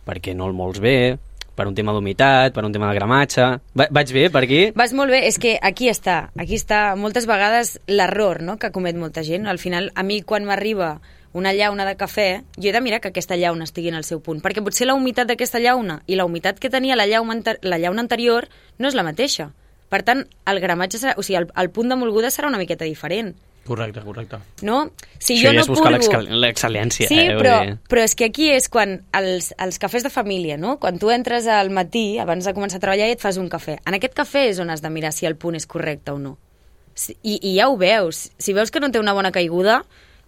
perquè no el mols bé, per un tema d'humitat, per un tema de gramatge... Va, vaig bé per aquí? Vas molt bé, és que aquí està, aquí està moltes vegades l'error, no?, que comet molta gent. Al final, a mi quan m'arriba una llauna de cafè, jo he de mirar que aquesta llauna estigui en el seu punt, perquè potser la humitat d'aquesta llauna i la humitat que tenia la llauna, la llauna anterior no és la mateixa. Per tant, el gramatge serà, o sigui, el, el punt de molguda serà una miqueta diferent. Correcte, correcte. No? Si Això jo ja no és buscar purgo... l'excel·lència. Sí, eh, però, vull dir. però és que aquí és quan els, els cafès de família, no? Quan tu entres al matí, abans de començar a treballar, i et fas un cafè. En aquest cafè és on has de mirar si el punt és correcte o no. I, i ja ho veus. Si veus que no té una bona caiguda,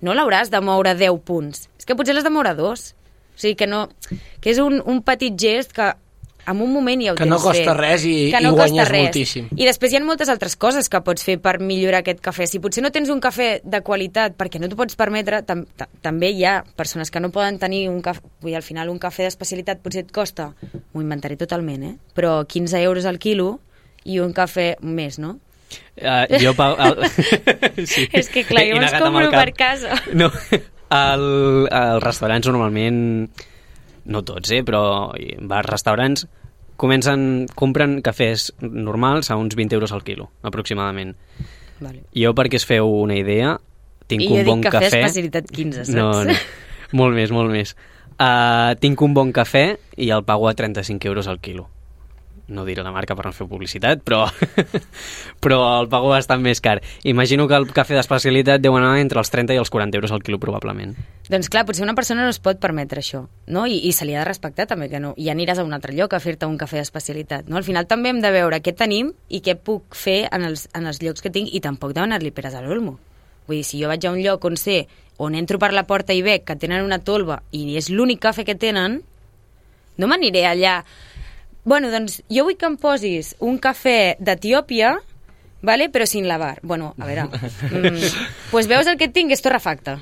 no l'hauràs de moure deu punts. És que potser l'has de moure dos. O sigui, que, no, que és un, un petit gest que en un moment ja ho Que tens no costa fet. res i- Que i no guanyes costa res. moltíssim. I després hi ha moltes altres coses que pots fer per millorar aquest cafè. Si potser no tens un cafè de qualitat perquè no t'ho pots permetre, tam ta també hi ha persones que no poden tenir un cafè... Vull dir, al final un cafè d'especialitat potser et costa, m'ho inventaré totalment, eh? Però quinze euros al quilo i un cafè més, no? Uh, jo pago... El... sí. És que clar, He jo me'ls negat amb el compro cap. per casa. No, el, els restaurants normalment, no tots, eh, però bars, restaurants, comencen, compren cafès normals a uns vint euros al quilo, aproximadament. Vale. Jo, perquè es feu una idea, tinc I un jo bon dic cafè cafè... especialitat quinze, saps? No, no, molt més, molt més. Uh, tinc un bon cafè i el pago a trenta-cinc euros al quilo. No diré la marca per no fer publicitat, però, però el pago bastant més car. Imagino que el cafè d'especialitat deu anar entre els trenta i els quaranta euros al quilo, probablement. Doncs clar, potser una persona no es pot permetre això, no? I, i se li ha de respectar també, que no. I aniràs a un altre lloc a fer-te un cafè d'especialitat, no? Al final també hem de veure què tenim i què puc fer en els, en els llocs que tinc i tampoc demanar-li peres a l'olmo. Vull dir, si jo vaig a un lloc on sé, on entro per la porta i veig que tenen una tolva i és l'únic cafè que tenen, no m'aniré allà... Bueno, doncs jo vull que em posis un cafè d'Etiòpia, vale? Però sin lavar. Bueno, a veure... Mm, pues veus el que tinc, és torrefacte.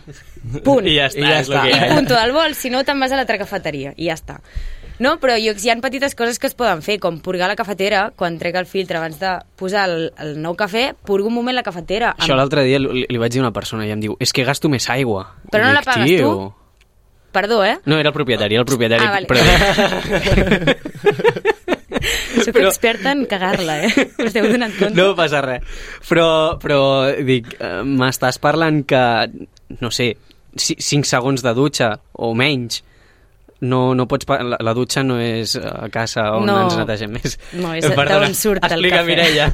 Punt. I ja està, I ja és el està. que hi ha. Punto del vol, si no te'n vas a l'altra cafeteria i ja està. No, però hi ha petites coses que es poden fer, com purgar la cafetera, quan trec el filtre abans de posar el, el nou cafè, purgo un moment la cafetera. Això l'altre dia li, li vaig dir a una persona i em diu, és que gasto més aigua. Però no I la dic, pagues tio... tu? Perdó, eh? No, era el propietari, era el propietari. Ah, vale. Però... Soc Però- experta en cagar-la, eh? Us heu donat compte? No passa res. Però, però dic, eh, m'estàs parlant que, no sé, ci- cinc segons de dutxa o menys, no, no pots... pa- La, la dutxa no és a casa on No. ens netegem més. No, és Perdona, d'on surt el explica, cafè. Mireia.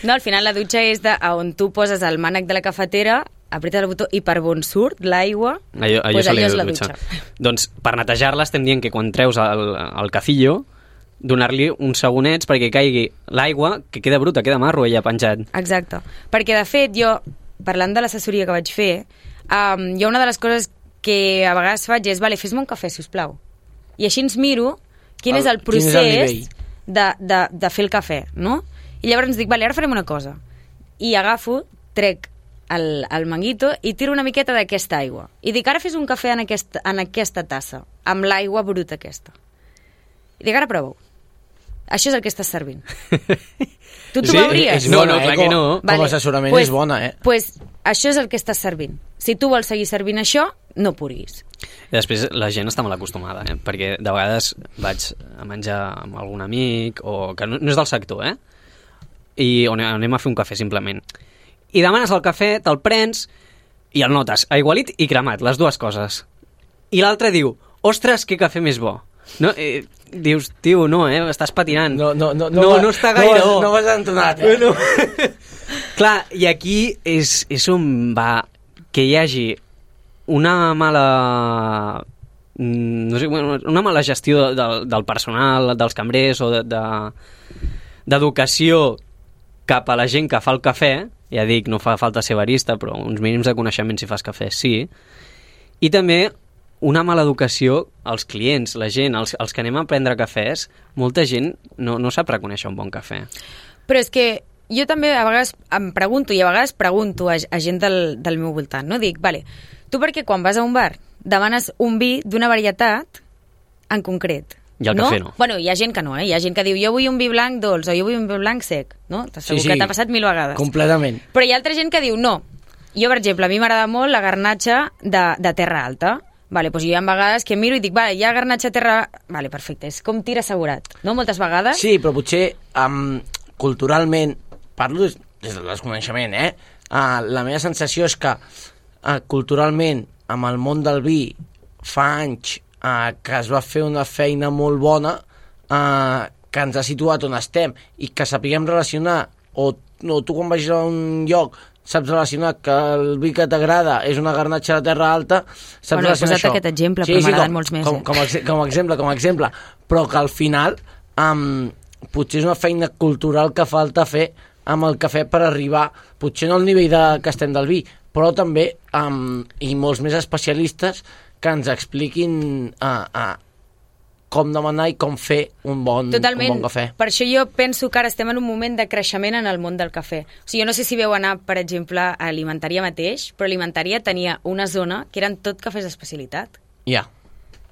No, al final la dutxa és de, a on tu poses el mànec de la cafetera, apretes el botó i per on surt l'aigua, Allò, allò, pues se li allò és diu la dutxa. dutxa. Doncs per netejar-la estem dient que quan treus el, el cafillo, donar-li uns segonets perquè caigui l'aigua, que queda bruta, queda marro ella penjat. Exacte. Perquè, de fet, jo, parlant de l'assessoria que vaig fer, um, jo una de les coses que a vegades faig és, vale, fes-me un cafè, sisplau. I així ens miro quin el, és el procés és el de, de, de fer el cafè, no? I llavors ens dic, vale, ara farem una cosa. I agafo, trec el, el manguito i tiro una miqueta d'aquesta aigua. I dic, ara fes un cafè en aquesta, en aquesta tassa, amb l'aigua bruta aquesta. I dic, ara prova-ho. Això és el que estàs servint. Tu t'ho Sí? veuries? És No, bona, no, clar eh? que Com, no. com a assessorament pues, és bona, eh? Pues això és el que estàs servint. Si tu vols seguir servint això, no puris. I després la gent està molt acostumada, eh? Perquè de vegades vaig a menjar amb algun amic, o que no, no és del sector, eh? I on anem a fer un cafè, simplement. I demanes el cafè, te'l prens, i el notes aigualit i cremat, les dues coses. I l'altre diu, ostres, que cafè més bo. No, eh, dius, tio, no, eh? Estàs patinant. No, no, no, no, no, no està gaire no, bo. no vas entonat, eh? No. Clar, i aquí és, és on va que hi hagi una mala no sé, una mala gestió del, del personal, dels cambrers o de, de, d'educació cap a la gent que fa el cafè. Ja dic, no fa falta ser barista, però uns mínims de coneixement si fas cafè, sí. I també una mala educació als clients, la gent, els, els que anem a prendre cafès, molta gent no, no sap reconèixer un bon cafè. Però és que jo també a vegades em pregunto, i a vegades pregunto a, a gent del, del meu voltant, no? Dic, vale, tu per què quan vas a un bar demanes un vi d'una varietat en concret? I el no? cafè no. Bueno, hi ha gent que no, eh? Hi ha gent que diu, jo vull un vi blanc dolç o jo vull un vi blanc sec, no? Segur sí, sí, que t'ha passat mil vegades. Completament. Però hi ha altra gent que diu, no. Jo, per exemple, a mi m'agrada molt la garnatxa de, de terra alta. Vale, doncs jo hi ha vegades que miro i dic, vale, hi ha garnatxa terra... Vale, perfecte, és com tir assegurat, no? Moltes vegades. Sí, però potser um, culturalment, parlo des, des del desconeixement, eh? Uh, la meva sensació és que uh, culturalment, amb el món del vi, fa anys uh, que es va fer una feina molt bona uh, que ens ha situat on estem i que sapiguem relacionar, o, o tu quan vagis a un lloc saps relacionar que el vi que t'agrada és una garnatxa de terra alta, saps bueno, relacionar això. He posat aquest exemple, però m'agraden com, molts més. Com, Eh? com, com, com a exemple, com a exemple, però que al final um, potser és una feina cultural que falta fer amb el cafè per arribar, potser no al nivell de, que estem del vi, però també um, i molts més especialistes que ens expliquin uh, uh, com demanar i com fer un bon, Totalment. un bon cafè. Per això jo penso que ara estem en un moment de creixement en el món del cafè. O sigui, jo no sé si veu anar, per exemple, a Alimentària mateix, però Alimentària tenia una zona que eren tot cafès d'especialitat. Ja,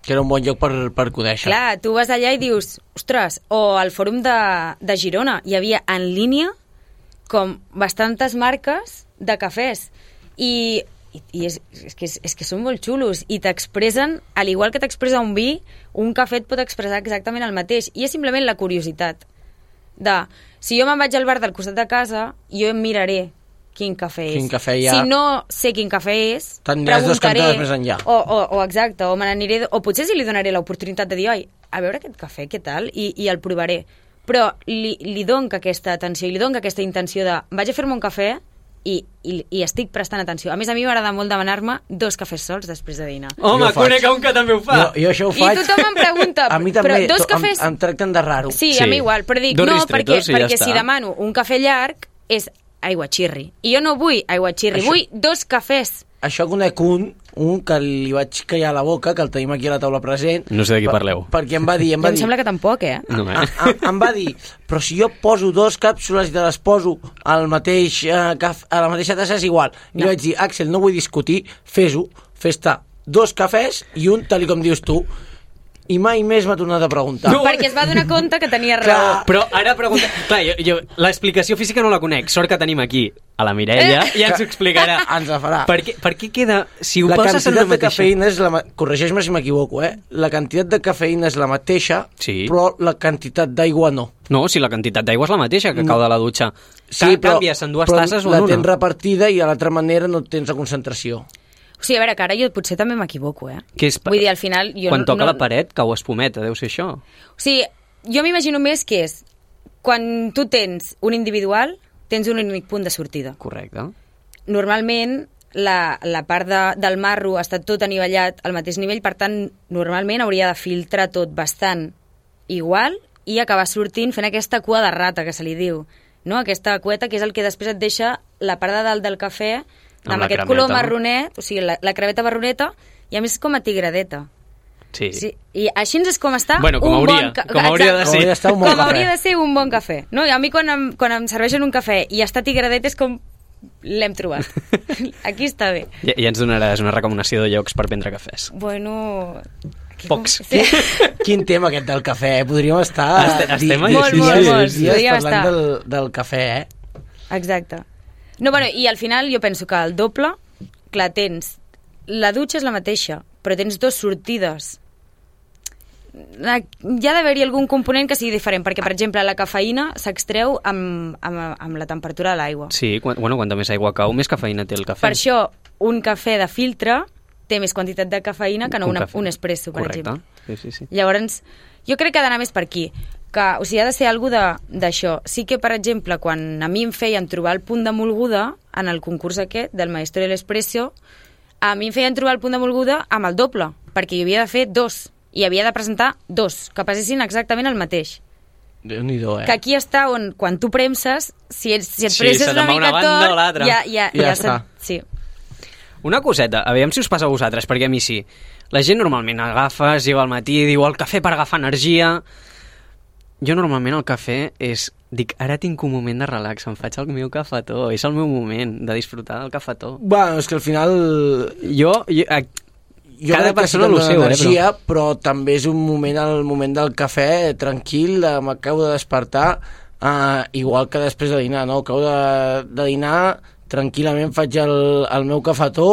que era un bon lloc per, per conèixer. Clar, tu vas allà i dius, ostres, o al fòrum de, de Girona hi havia en línia com bastantes marques de cafès. I, i, i és, és, que, és, és que són molt xulos i t'expressen, al igual que t'expressa un vi, un cafè et pot expressar exactament el mateix. I és simplement la curiositat de, si jo me'n vaig al bar del costat de casa, jo em miraré quin cafè és. Quin cafè hi ha. Si no sé quin cafè és, t'aniràs dos cantades més enllà. O, o, o exacte, o me n'aniré, o potser si li donaré l'oportunitat de dir, oi, a veure aquest cafè, què tal? I, i el provaré. Però li, li donc aquesta atenció i li donc aquesta intenció de vaig a fer-me un cafè i, i, i estic prestant atenció. A més, a mi m'agrada molt demanar-me dos cafès sols després de dinar. Home, Jo ho faig. conec un que també ho fa. Jo, jo això ho I faig. tothom em pregunta, a mi també, però dos to- cafès... em, em tracten de raro. Sí, Sí. a mi igual, però dic, Dos no, ristretos perquè, i ja perquè està. si demano un cafè llarg és aigua xirri. I jo no vull aigua xirri, Això- vull dos cafès. Això conec un, un que li vaig callar a la boca, que el tenim aquí a la taula present. No sé de qui per- parleu. Perquè em va dir... Em Jo va em dir sembla que tampoc, eh? No, eh? a, a, em va dir, però si jo poso dos càpsules i te les poso al mateix, eh, caf, a la mateixa tassa és igual. I No. vaig dir, Àxel, no vull discutir, fes-ho, fes-te dos cafès i un, tal com dius tu. I mai més m'ha tornat a preguntar. No. Perquè es va donar compte que tenia Clar. raó. Però ara pregunta... Clar, jo, jo, l'explicació física no la conec. Sort que tenim aquí a la Mireia i ens ho explicarà. Ens la farà. Per què, per què queda... Si ho La poses en quantitat una de mateixa... cafeïna és la... ma- Corregeix-me si m'equivoco, eh? La quantitat de cafeïna és la mateixa, Sí. però la quantitat d'aigua no. No, si la quantitat d'aigua és la mateixa que No. cau de la dutxa. Sí, Ca- però, Canvies en dues però tasses o la en una. tens repartida i a l'altra manera no tens la concentració. O sigui, a veure, que ara jo potser també m'equivoco, eh? Que és pa- Vull dir, al final... Jo Quan no, toca no... la paret, cau espumeta, deu ser això. O sigui, jo m'imagino més que és quan tu tens un individual, tens un únic punt de sortida. Correcte. Normalment, la, la part de, del marro està tot anivellat al mateix nivell, per tant, normalment hauria de filtrar tot bastant igual i acabar sortint fent aquesta cua de rata, que se li diu, no? Aquesta cueta que és el que després et deixa la part de dalt del cafè amb, amb aquest color marronet, o sigui, la, la creveta marroneta, i a més és com a tigradeta. Sí. sí. I així és com està bueno, com un hauria, bon... Ca... Com hauria de ser. Com hauria de, un bon com hauria de ser un bon cafè. No? I a mi quan em, quan em serveixen un cafè i està tigradet és com... L'hem trobat. Aquí està bé. Ja, ja ens donaràs una recomanació de llocs per prendre cafès. Bueno... Pocs. Sí. Quin tema aquest del cafè, eh? Podríem estar Estem, estem di, molt, dies, molt, molt. dies Podríem parlant estar. del, del cafè, eh? Exacte. No, bueno, i al final jo penso que el doble, clar, tens... La dutxa és la mateixa, però tens dues sortides. La, hi ha d'haver-hi algun component que sigui diferent, perquè, per exemple, la cafeïna s'extreu amb, amb, amb la temperatura de l'aigua. Sí, quan, bueno, quanta més aigua cau, més cafeïna té el cafè. Per això, un cafè de filtre té més quantitat de cafeïna que no un, una, cafè. un espresso, per Correcte. exemple. Sí, sí, sí. Llavors, jo crec que ha d'anar més per aquí. Que, o sigui, ha de ser alguna d'això. Sí que, per exemple, quan a mi em feien trobar el punt de molguda en el concurs aquest del Maestro de l'Espresso, a mi em feien trobar el punt de molguda amb el doble, perquè hi havia de fer dos, i havia de presentar dos, que passessin exactament el mateix. Déu-n'hi-do, eh? Que aquí està on, quan tu premses, si, ets, si et Sí, presses se una te'n va mica una banda tot, o l'altra. ja, ja, Ja ja, està. sí. Una coseta, aviam si us passa a vosaltres, perquè a mi sí. La gent normalment agafa, es lleva al matí, diu el cafè per agafar energia. Jo normalment el cafè és... Dic, ara tinc un moment de relax, em faig el meu cafetó, és el meu moment de disfrutar del cafetó. Bueno, és que al final... Jo... jo a... Jo Cada crec que persona sí que lo em dona seu, energia, eh, però... però també és un moment, el moment del cafè, tranquil, de, m'acabo de despertar, uh, igual que després de dinar, no? Acabo de, de dinar, tranquil·lament faig el, el meu cafetó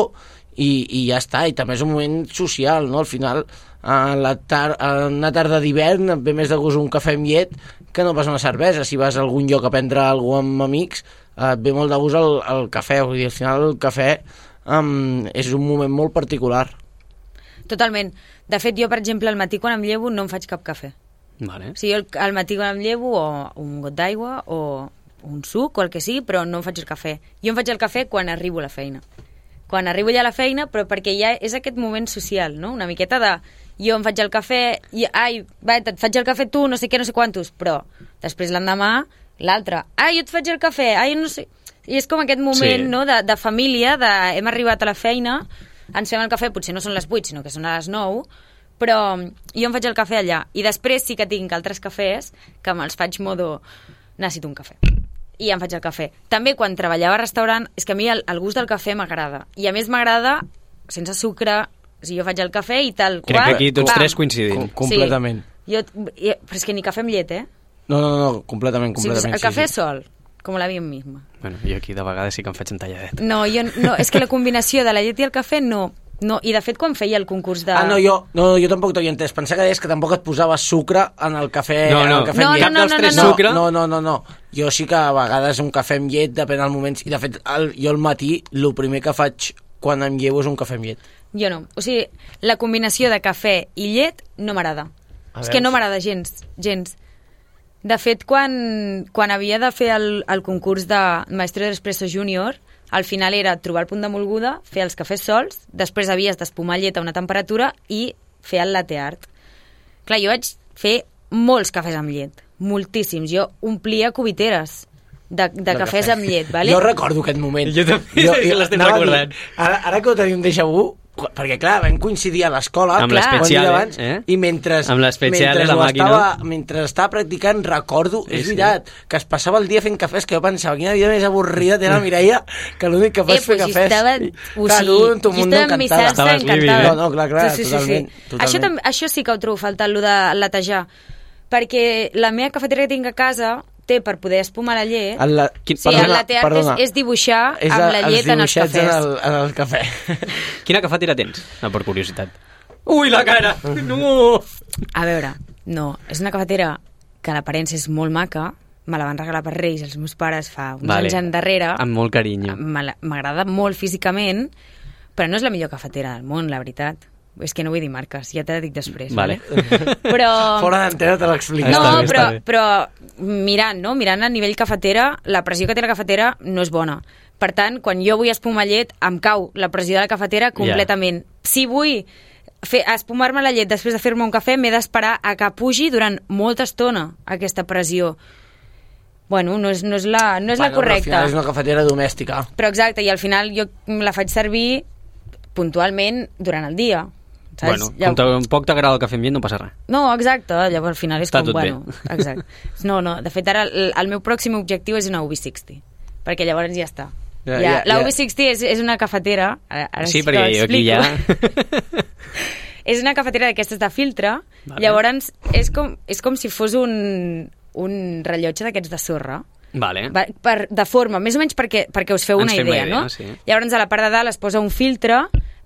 i, i ja està, i també és un moment social, no? Al final, a la tar en una tarda d'hivern et ve més de gust un cafè amb llet que no pas una cervesa. Si vas a algun lloc a prendre alguna cosa amb amics, eh, et ve molt de gust el, el cafè, vull dir, al final el cafè um, és un moment molt particular. Totalment. De fet, jo, per exemple, al matí quan em llevo no em faig cap cafè. Vale. O sigui, jo al matí quan em llevo o un got d'aigua o un suc o el que sigui, però no em faig el cafè. Jo em faig el cafè quan arribo a la feina. Quan arribo ja a la feina, però perquè ja és aquest moment social, no? Una miqueta de... Jo em faig el cafè i... Ai, va, et faig el cafè tu, no sé què, no sé quantos, però després l'endemà, l'altre. Ai, jo et faig el cafè, ai, no sé... I és com aquest moment, Sí. no?, de, de família, de hem arribat a la feina, ens fem el cafè, potser no són les vuit, sinó que són a les nou, però jo em faig el cafè allà. I després sí que tinc altres cafès que me'ls faig modo... Necessito un cafè. I em faig el cafè. També quan treballava a restaurant, és que a mi el, el gust del cafè m'agrada. I a més m'agrada sense sucre, o sigui, jo faig el cafè i tal Crec qual... que aquí tots pam. tres coincidim. Com- completament. Sí. Jo, i- però és que ni cafè amb llet, eh? No, no, no, completament, O sigui, completament. el cafè sí, sí. sol, com la vida misma. Bueno, jo aquí de vegades sí que em faig un talladet. No, jo, no, és que la combinació de la llet i el cafè no. No, i de fet quan feia el concurs de... Ah, no, jo, no, jo tampoc t'havia entès. Pensava que deies que tampoc et posaves sucre en el cafè, No, en no. el cafè No, amb no, llet. no, Cap dels no, tres no, no. sucre? No, no, no, no. Jo sí que a vegades un cafè amb llet, depèn del moment. I de fet, el, jo al matí, el primer que faig quan em llevo és un cafè amb llet. Jo no. O sigui, la combinació de cafè i llet no m'agrada. A És veure. que no m'agrada gens, gens. De fet, quan, quan havia de fer el, el concurs de Maestro de l'Espresso Júnior, al final era trobar el punt de molguda, fer els cafès sols, després havies d'espumar llet a una temperatura i fer el latte art. Clar, jo vaig fer molts cafès amb llet, moltíssims. Jo omplia cubiteres de, de, de cafès cafè. amb llet, vale? Jo recordo aquest moment. Jo també, és que l'estic anava a dir, recordant. Ara, ara que ho tenim déjà vu, perquè clar, vam coincidir a l'escola Amb clar, l'especial, com he dit abans, eh? i mentre, Amb l'especial, mentre, la ho màquina. estava, mentre estava practicant recordo, Sí, és sí. veritat, que es passava el dia fent cafès, que jo pensava quina vida més avorrida té la Mireia, que l'únic que fa Eh, és fer pues cafès. estava... I, O clar, sigui, tu, tu jo mundo estava en mi encantada. salsa Estaves living, encantada. eh? No, no, clar, clar, sí, sí, sí, totalment, sí. totalment. Això, també, això sí que ho trobo faltant, allò de latejar. Perquè la meva cafetera que tinc a casa té per poder espumar la llet... El, la, Quin- Sí, el latte art és, és dibuixar és amb la els llet en els dibuixets cafès. En el, en el cafè. Quina cafetera tens? No, per curiositat. Ui, la cara! No! A veure, no, és una cafetera que l'aparença és molt maca, me la van regalar per Reis els meus pares fa uns Vale. anys endarrere. Amb molt carinyo. Me la- M'agrada molt físicament, però no és la millor cafetera del món, la veritat. És que no vull dir marques, ja te la dic després. Vale. Però... Fora d'antena te l'explico. No, Està bé, però, està bé. però mirant, no? Mirant a nivell cafetera, la pressió que té la cafetera no és bona. Per tant, quan jo vull espumar llet, em cau la pressió de la cafetera completament. Yeah. Si vull fer, espumar-me la llet després de fer-me un cafè, m'he d'esperar a que pugi durant molta estona aquesta pressió. bueno, no és, no és, la, no és bueno, la correcta. Al final és una cafetera domèstica. Però exacte, i al final jo la faig servir puntualment durant el dia. Saps? Bueno, com tampoc t'agrada el cafè amb llet no passa res. No, exacte, llavors al final és Està com, tot bueno, exacte. No, no, de fet ara el, el meu pròxim objectiu és una U B seixanta, perquè llavors ja està. Ja, Ja, ja, la ja. U B seixanta és, és una cafetera, ara, ara Sí, que perquè ho jo aquí ja... explico. És una cafetera d'aquestes de filtre, Vale. llavors és com, és com si fos un, un rellotge d'aquests de sorra, Vale. va, per, de forma, més o menys perquè, perquè us feu Ens una fem idea, una idea, no? sí. Llavors a la part de dalt es posa un filtre,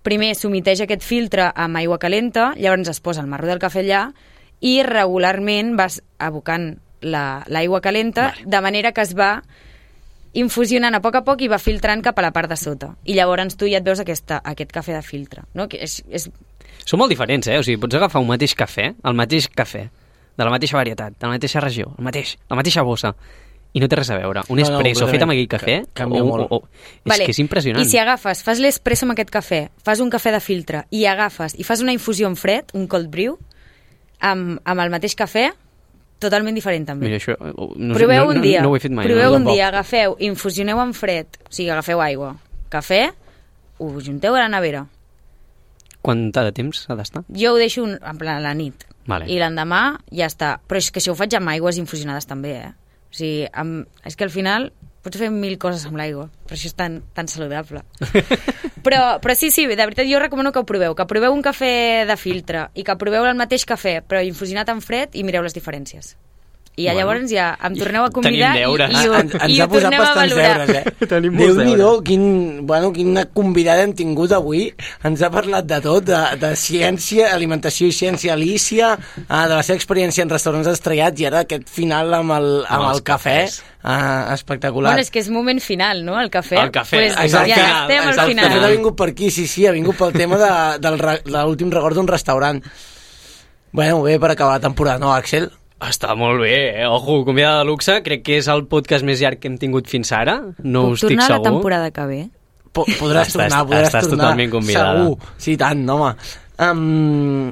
primer s'humiteix aquest filtre amb aigua calenta, llavors es posa el marro del cafè allà i regularment vas abocant la- l'aigua calenta, Vale. de manera que es va infusionant a poc a poc i va filtrant cap a la part de sota. I llavors tu ja et veus aquesta, aquest cafè de filtre, no? Que és, és Són molt diferents, eh? O sigui, pots agafar un mateix cafè, el mateix cafè, de la mateixa varietat, de la mateixa regió, el mateix, la mateixa bossa, i no té res a veure. Un No, no, espresso fet amb aquell completament. cafè... Ca- canvia o, molt. O, o, és que és impressionant. I si agafes, fas l'espresso amb aquest cafè, fas un cafè de filtre i agafes i fas una infusió en fred, un cold brew, amb, amb el mateix cafè, totalment diferent també. Mira, això... eh, No, Proveu no, un dia, No, no ho he fet mai. proveu no? un dia, agafeu, infusioneu en fred, o sigui, agafeu aigua, cafè, ho junteu a la nevera. Quant de temps ha d'estar? Jo ho deixo un, en plan a la nit. Vale. I l'endemà ja està. Però és que si ho faig amb aigües infusionades també, eh? O sigui, amb, és que al final pots fer mil coses amb l'aigua, però això és tan, tan saludable. però, però sí, sí, de veritat jo recomano que ho proveu, que proveu un cafè de filtre i que proveu el mateix cafè, però infusionat en fred i mireu les diferències. I ja, Bueno. llavors ja em torneu a convidar Tenim i, deures. i, ho, ens, ens i ha ho posat tornem a bastants valorar. deures, eh? Tenim molts Déu-n'hi-do, deures. quin, bueno, quina convidada hem tingut avui. Ens ha parlat de tot, de, de ciència, alimentació i ciència, Alicia, eh, de la seva experiència en restaurants estrellats i ara aquest final amb el, amb Amb el els cafè. cafès. Eh, espectacular. Bueno, és que és moment final, no?, el cafè. El cafè, pues, exacte. ja estem al Exacte. El cafè final. ha vingut per aquí, sí, sí, ha vingut pel tema de, del, re- de l'últim record d'un restaurant. Bueno, bé, per acabar la temporada, no, Àxel? Està molt bé, eh? Ojo, convidada de luxe, crec que és el podcast més llarg que hem tingut fins ara, no Puc ho estic tornar a la segur. temporada que ve? Po podràs Estàs- tornar, podràs estàs tornar. totalment convidada. Segur, sí, tant, home. Um,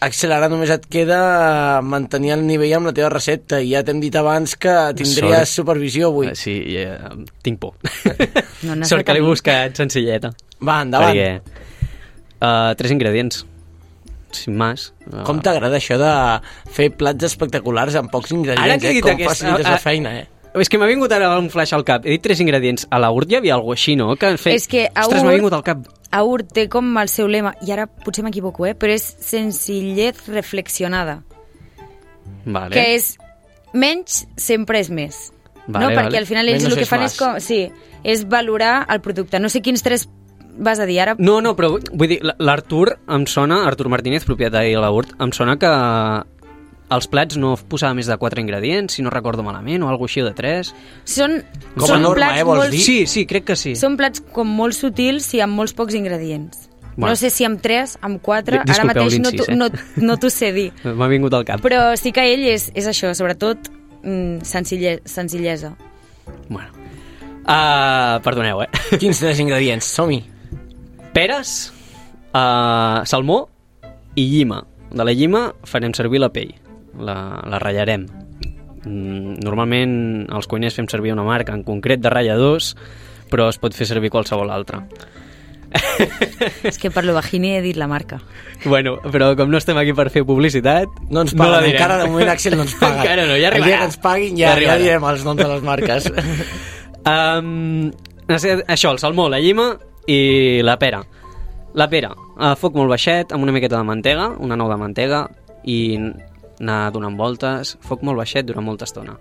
Axel, ara només et queda mantenir el nivell amb la teva recepta i ja t'hem dit abans que tindries Sort. supervisió avui. Eh, Sí, ja, tinc por. No, no Sort que l'he tenir. buscat senzilleta. Va, endavant. Perquè, uh, tres ingredients, sin más. Uh, Com t'agrada això de fer plats espectaculars amb pocs ingredients, Ara que he eh? dit Com aquest- facilites ah, la ah, feina, eh? És que m'ha vingut ara un flash al cap. He dit tres ingredients. A la urt hi havia alguna així, no? Que han fet... És que a Ostres, m'ha Urt- vingut al cap. Aur té com el seu lema, i ara potser m'equivoco, eh? però és senzillez reflexionada, Vale. que és menys sempre és més. Vale, no? Perquè vale. al final ells Menos el que es fan más. és, com, sí, és valorar el producte. No sé quins tres vas a dir ara. No, no, però vull dir, l'Artur em sona, Artur Martínez, propietari de la Urt, em sona que els plats no posava més de quatre ingredients, si no recordo malament, o alguna així de tres. Són, Com a són norma, plats eh, vols molt, dir? Sí, sí, crec que sí. són plats com molt sutils i amb molts pocs ingredients. Bueno. No sé si amb tres, amb quatre, Di- ara disculpeu mateix no l'incís, t'ho eh? no, no t'ho sé dir. M'ha vingut al cap. Però sí que ell és, és això, sobretot mm, senzille, senzillesa. Bueno. Uh, perdoneu, eh? Quins tres ingredients? Som-hi. Peres, uh, salmó i llima. De la llima farem servir la pell. La, la ratllarem. Mm, normalment els cuiners fem servir una marca en concret de ratlladors, però es pot fer servir qualsevol altra. És que per lo vagini he dit la marca. Bueno, però com no estem aquí per fer publicitat... No ens la paguen, direm. encara de moment Axel no ens paga. Encara no, ja El dia arribarà. que ens paguin Ja ja, ja, arribarà. direm els noms de les marques. Um, això, el salmó, la llima i la pera. La pera, a foc molt baixet, amb una miqueta de mantega, una nou de mantega, i anar donant voltes, foc molt baixet durant molta estona.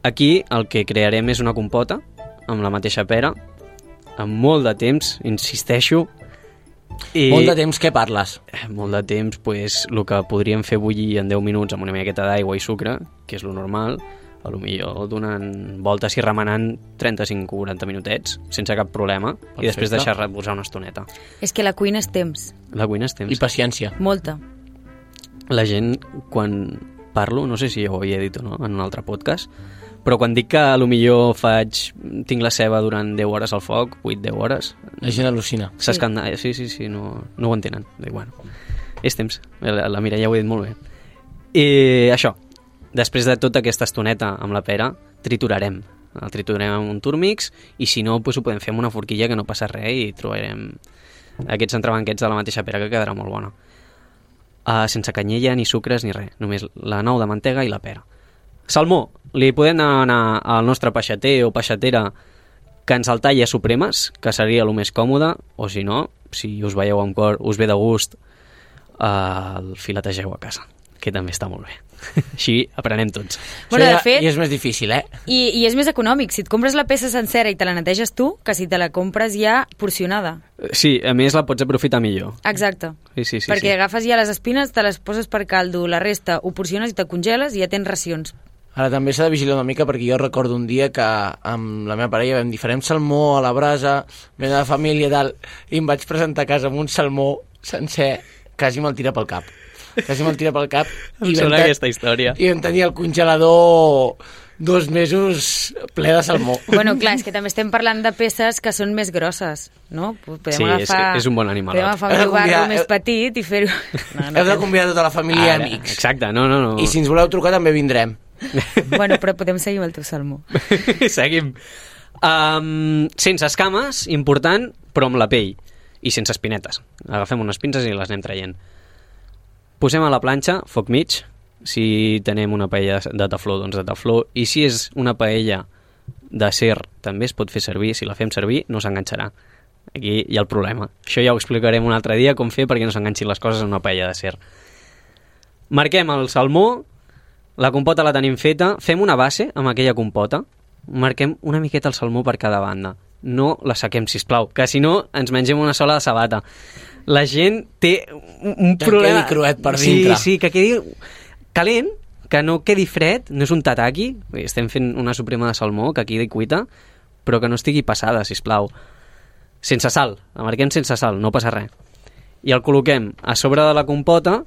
Aquí el que crearem és una compota, amb la mateixa pera, amb molt de temps, insisteixo. I... Molt de temps, què parles? Eh, Molt de temps, pues, el que podríem fer bullir en deu minuts amb una miqueta d'aigua i sucre, que és lo normal, a lo millor donant voltes i remenant trenta-cinc o quaranta minutets, sense cap problema, Perfecte. i després deixar reposar una estoneta. És que la cuina és temps, La cuina és temps. I paciència. molta. La gent, quan parlo, no sé si ja ho havia dit o no, en un altre podcast, però quan dic que a lo millor faig, tinc la ceba durant deu hores al foc, vuit deu hores, La gent al·lucina. s'escandalla, sí, sí, sí, no, no ho entenen. Dic, bueno, és temps, la, la Mireia ho ha dit molt bé. I això, després de tota aquesta estoneta amb la pera, triturarem. El triturarem amb un turmix i si no, doncs ho podem fer amb una forquilla que no passa res i trobarem aquests entrebanquets de la mateixa pera que quedarà molt bona. Uh, sense canyella, ni sucres, ni res. Només la nou de mantega i la pera. Salmó, li podem anar al nostre peixater o peixatera que ens el talla a supremes, que seria el més còmode, o si no, si us veieu amb cor, us ve de gust, uh, el filetegeu a casa, que també està molt bé. Així aprenem tots. Bueno, de fet, I és més difícil, eh? I, I és més econòmic. Si et compres la peça sencera i te la neteges tu, que si te la compres ja porcionada. Sí, a més la pots aprofitar millor. Exacte. Sí, sí, sí, Perquè sí. agafes ja les espines, te les poses per caldo, la resta ho porciones i te congeles i ja tens racions. Ara també s'ha de vigilar una mica perquè jo recordo un dia que amb la meva parella vam dir farem salmó a la brasa, vam anar de família i tal, i em vaig presentar a casa amb un salmó sencer, quasi me'l tira pel cap. Quasi me'l tira pel cap. Em sona aquesta història. I vam tenir el congelador dos mesos ple de salmó. Bueno, clar, és que també estem parlant de peces que són més grosses, no? Podem Sí, és, agafar, és un bon animal. podem agafar Heu un de llobarro convidar- més heu- petit i fer-ho... No, Heu de convidar tota la família i Ara, amics. exacte, no, no, no. I si ens voleu trucar també vindrem. Bueno, però podem seguir amb el teu salmó. Seguim. Um, sense escames, important, però amb la pell. I sense espinetes. Agafem unes pinces i les anem traient. Posem a la planxa, foc mig. Si tenem una paella de tefló, doncs de tefló. I si és una paella d'acer, també es pot fer servir. Si la fem servir, no s'enganxarà. Aquí hi ha el problema. Això ja ho explicarem un altre dia, com fer perquè no s'enganxin les coses en una paella d'acer. Marquem el salmó, la compota la tenim feta, fem una base amb aquella compota, marquem una miqueta el salmó per cada banda. No la saquem, sisplau, que si no ens mengem una sola de sabata. La gent té un, un Que problema... quedi cruet per dintre. Sí, sí, que quedi calent, que no quedi fred, no és un tataki, estem fent una suprema de salmó, que quedi cuita, però que no estigui passada, sisplau. Sense sal, la marquem sense sal, no passa res. I el col·loquem a sobre de la compota,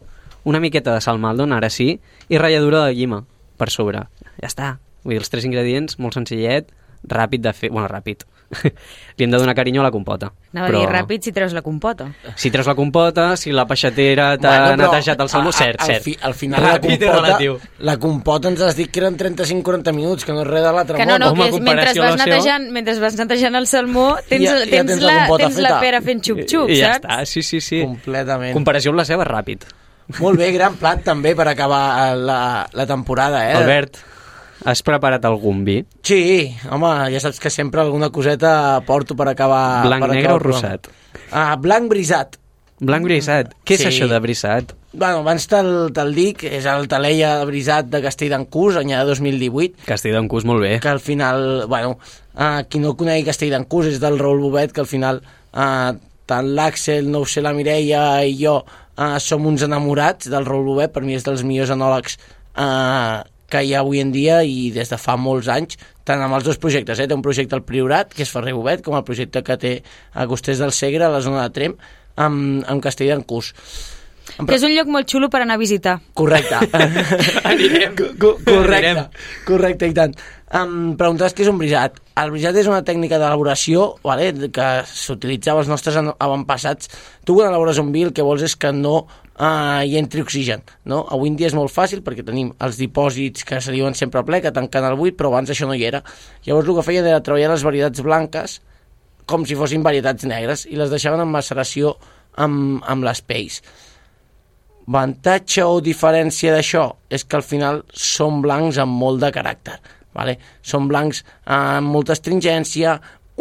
una miqueta de salmaldon, ara sí, i ratlladura de llima per sobre. Ja està. Vull dir, els tres ingredients, molt senzillet, ràpid de fer... Bueno, ràpid. Li hem de donar carinyo a la compota. Anava però... a dir ràpid si treus la compota. Si treus la compota, si la peixatera t'ha Bueno, però netejat el salmó, a- a- cert, al cert. fi- Al final la Ràpid i compota, relatiu. la compota ens has dit que eren trenta-cinc a quaranta minuts, que no és res de l'altre Que no, món. no, Home, que és, mentre comparació vas, a l'oció. netejant, mentre vas netejant el salmó tens, Ja- ja tens, tens la la, compota tens la feta. pera fent xup-xup, I ja saps? està, sí, sí, sí. Completament. Comparació amb la seva, ràpid. Molt bé, gran plat també per acabar la, la temporada, eh? Albert, has preparat algun vi? Sí, home, ja saps que sempre alguna coseta porto per acabar... Blanc, per negre acabar o el programa. rosat? Ah, blanc brisat. Blanc brisat. Què és Sí. això de brisat? Bueno, abans te'l te dic, és el Taleia brisat de Castell d'Encús, any de dos mil divuit, Castell d'Encús, molt bé. que al final, bueno, uh, qui no conegui Castell d'Encús és del Raül Bobet, que al final uh, tant l'Àxel, no ho sé, la Mireia i jo uh, som uns enamorats del Raül Bobet, per mi és dels millors enòlegs uh, que hi ha avui en dia i des de fa molts anys, tant amb els dos projectes, eh? Té un projecte al Priorat, que és Ferrer Bobet, com el projecte que té a Costers del Segre, a la zona de Trem, amb, amb Castell d'Encús. Que és un lloc molt xulo per anar a visitar. Correcte. Anirem. Co correcte, Anirem. correcte, i tant. Em preguntaves què és un brisat. El brisat és una tècnica d'elaboració, vale, que s'utilitzava als nostres an- avantpassats. Tu quan elabores un vi el que vols és que no uh, hi entri oxigen. No? Avui en dia és molt fàcil perquè tenim els dipòsits que se diuen sempre a ple, que tanquen el buit, però abans això no hi era. Llavors el que feien era treballar les varietats blanques com si fossin varietats negres i les deixaven en maceració amb, amb les pells. Avantatge o diferència d'això és que al final són blancs amb molt de caràcter, vale? Són blancs amb molta astringència,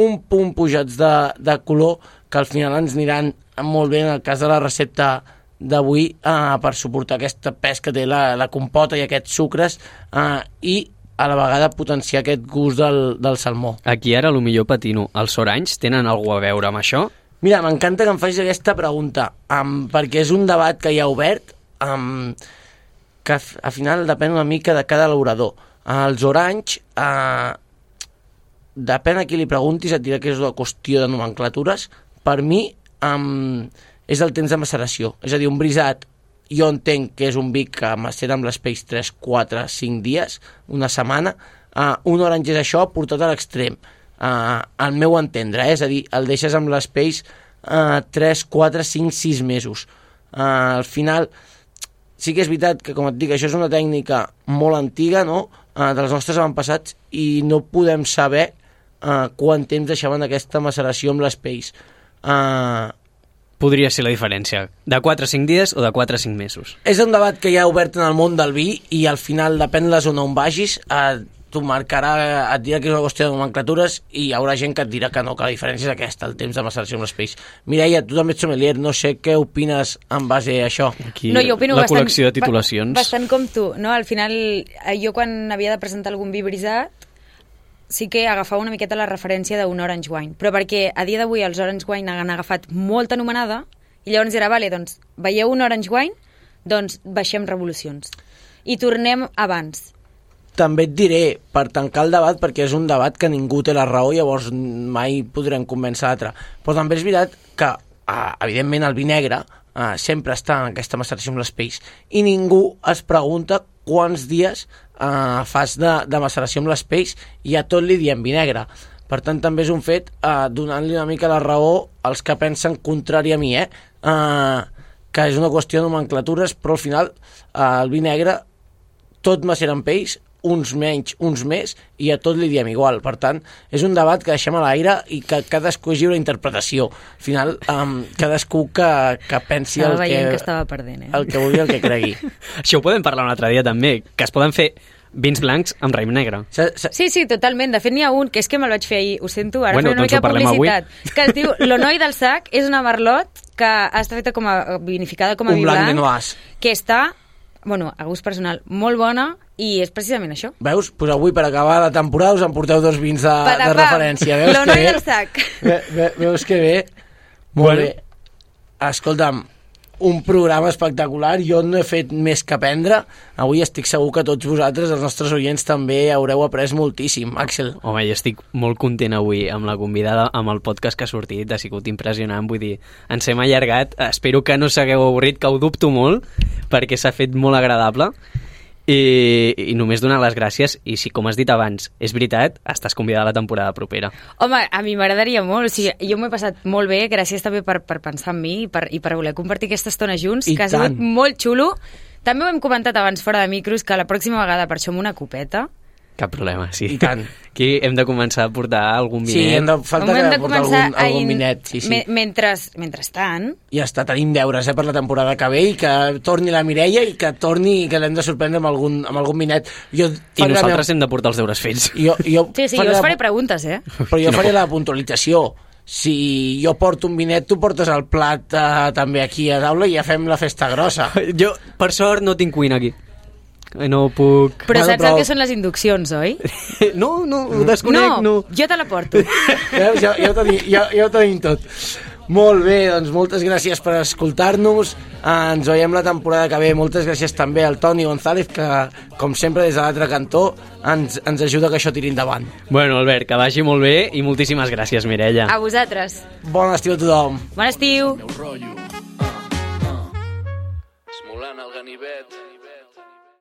un punt pujats de, de color que al final ens aniran molt bé en el cas de la recepta d'avui eh, per suportar aquesta pes que té la, la compota i aquests sucres eh, i a la vegada potenciar aquest gust del, del salmó. Aquí ara, a lo millor patino, els oranys tenen alguna a veure amb això? Mira, m'encanta que em facis aquesta pregunta, um, perquè és un debat que hi ha obert, um, que al final depèn una mica de cada elaborador. Uh, els oranys, uh, depèn a qui li preguntis, et dirà que és una qüestió de nomenclatures. Per mi, um, és el temps de maceració. És a dir, un brisat, jo entenc que és un vi que macera amb les pells tres, quatre, cinc dies, una setmana. Uh, un orange és això portat a l'extrem. Uh, al meu entendre, eh? És a dir, el deixes amb les pells uh, tres, quatre, cinc, sis mesos. Uh, al final sí que és veritat que, com et dic, això és una tècnica molt antiga, no?, uh, dels nostres avantpassats, i no podem saber uh, quant temps deixaven aquesta maceració amb les pells. Uh, Podria ser la diferència, de quatre a cinc dies o de quatre a cinc mesos. és un debat que hi ha obert en el món del vi i al final, depèn de la zona on vagis, uh, t'ho marcarà, et dirà que és una qüestió de nomenclatures i hi haurà gent que et dirà que no, que la diferència és aquesta, el temps de maceració amb les pells. Mireia, tu també ets sommelier, no sé què opines en base a això. Aquí, No, jo opino la bastant, col·lecció de titulacions. ba- Bastant com tu, no? Al final, eh, jo quan havia de presentar algun vi brisat, sí que agafava una miqueta la referència d'un Orange Wine, però perquè a dia d'avui els Orange Wine han agafat molta anomenada, i llavors era, vale, doncs, veieu un Orange Wine? Doncs baixem revolucions. I tornem abans. També et diré, per tancar el debat, perquè és un debat que ningú té la raó, llavors mai podrem convèncer l'altre. Però també és veritat que, eh, evidentment, el vi negre eh, sempre està en aquesta maceració amb les pells i ningú es pregunta quants dies eh, fas de, de maceració amb les pells i a tot li diem vi negre. Per tant, també és un fet eh, donant-li una mica la raó als que pensen contrari a mi, eh? eh que és una qüestió de nomenclatures, però al final eh, el vi negre tot macera amb pells, uns menys, uns més, i a tot li diem igual. Per tant, és un debat que deixem a l'aire i que cadascú és lliure d'interpretació. Al final, um, cadascú que, que pensi Estava el veient que, que estava perdent, eh? el que vulgui, el que cregui. Això ho podem parlar un altre dia també, que es poden fer vins blancs amb raïm negre. Sa, sa, Sí, sí, totalment. De fet, n'hi ha un, que és que me'l vaig fer ahir, ho sento, ara Bueno, bueno, una doncs mica ho parlem publicitat, que es diu L'Onoi del Sac, és una merlot que està feta com a vinificada com a un vi blanc blanc, menoàs. que està, bueno, a gust personal, molt bona, i és precisament això. Veus? Pues avui, per acabar la temporada, us emporteu dos vins de, de Patapam, referència. Veus L'Onoi que bé? del Sac. Ve, ve, veus que bé? Molt Bueno. bé. Escolta'm, un programa espectacular, jo no he fet més que aprendre, avui estic segur que tots vosaltres, els nostres oients, també haureu après moltíssim. Àxel. Home, jo estic molt content avui amb la convidada, amb el podcast que ha sortit, ha sigut impressionant, vull dir, ens hem allargat, espero que no s'hagueu avorrit, que ho dubto molt, perquè s'ha fet molt agradable, i, i només donar les gràcies, i si, com has dit abans, és veritat, estàs convidada a la temporada propera. Home, a mi m'agradaria molt, o sigui, jo m'ho he passat molt bé, gràcies també per, per pensar en mi i per, i per voler compartir aquesta estona junts, I que ha sigut tant. molt xulo. També ho hem comentat abans fora de micros, que la pròxima vegada per això amb una copeta. Cap problema, sí. I tant. Aquí hem de començar a portar algun Sí, vinet. hem de, falta Hem que de portar començar algun, a algun in- vinet. Sí, sí. Me, mentre, mentrestant, Ja està, tenim deures eh, per la temporada que ve i que torni la Mireia i que torni i que l'hem de sorprendre amb algun, amb algun vinet. Jo I nosaltres hem de portar els deures fets. Jo, jo sí, sí, jo faré us la- faré preguntes, eh? Però jo faré la puntualització. Si jo porto un vinet, tu portes el plat eh, també aquí a taula i ja fem la festa grossa. Jo, per sort, no tinc cuina aquí. No puc... Però Bueno, saps però- el que són les induccions, oi? No, no, ho desconec, no. jo te la porto. Veus? Ja, ja, ho tenim, ja, ja ho tenim tot. Molt bé, doncs moltes gràcies per escoltar-nos. Eh, ens veiem la temporada que ve. Moltes gràcies també al Toni González, que, com sempre, des de l'altre cantó, ens, ens ajuda que això tiri endavant. Bueno, Albert, que vagi molt bé i moltíssimes gràcies, Mireia. A vosaltres. Bon estiu a tothom. Bon estiu. Meu rotllo. Uh, uh. Esmolant el ganivet.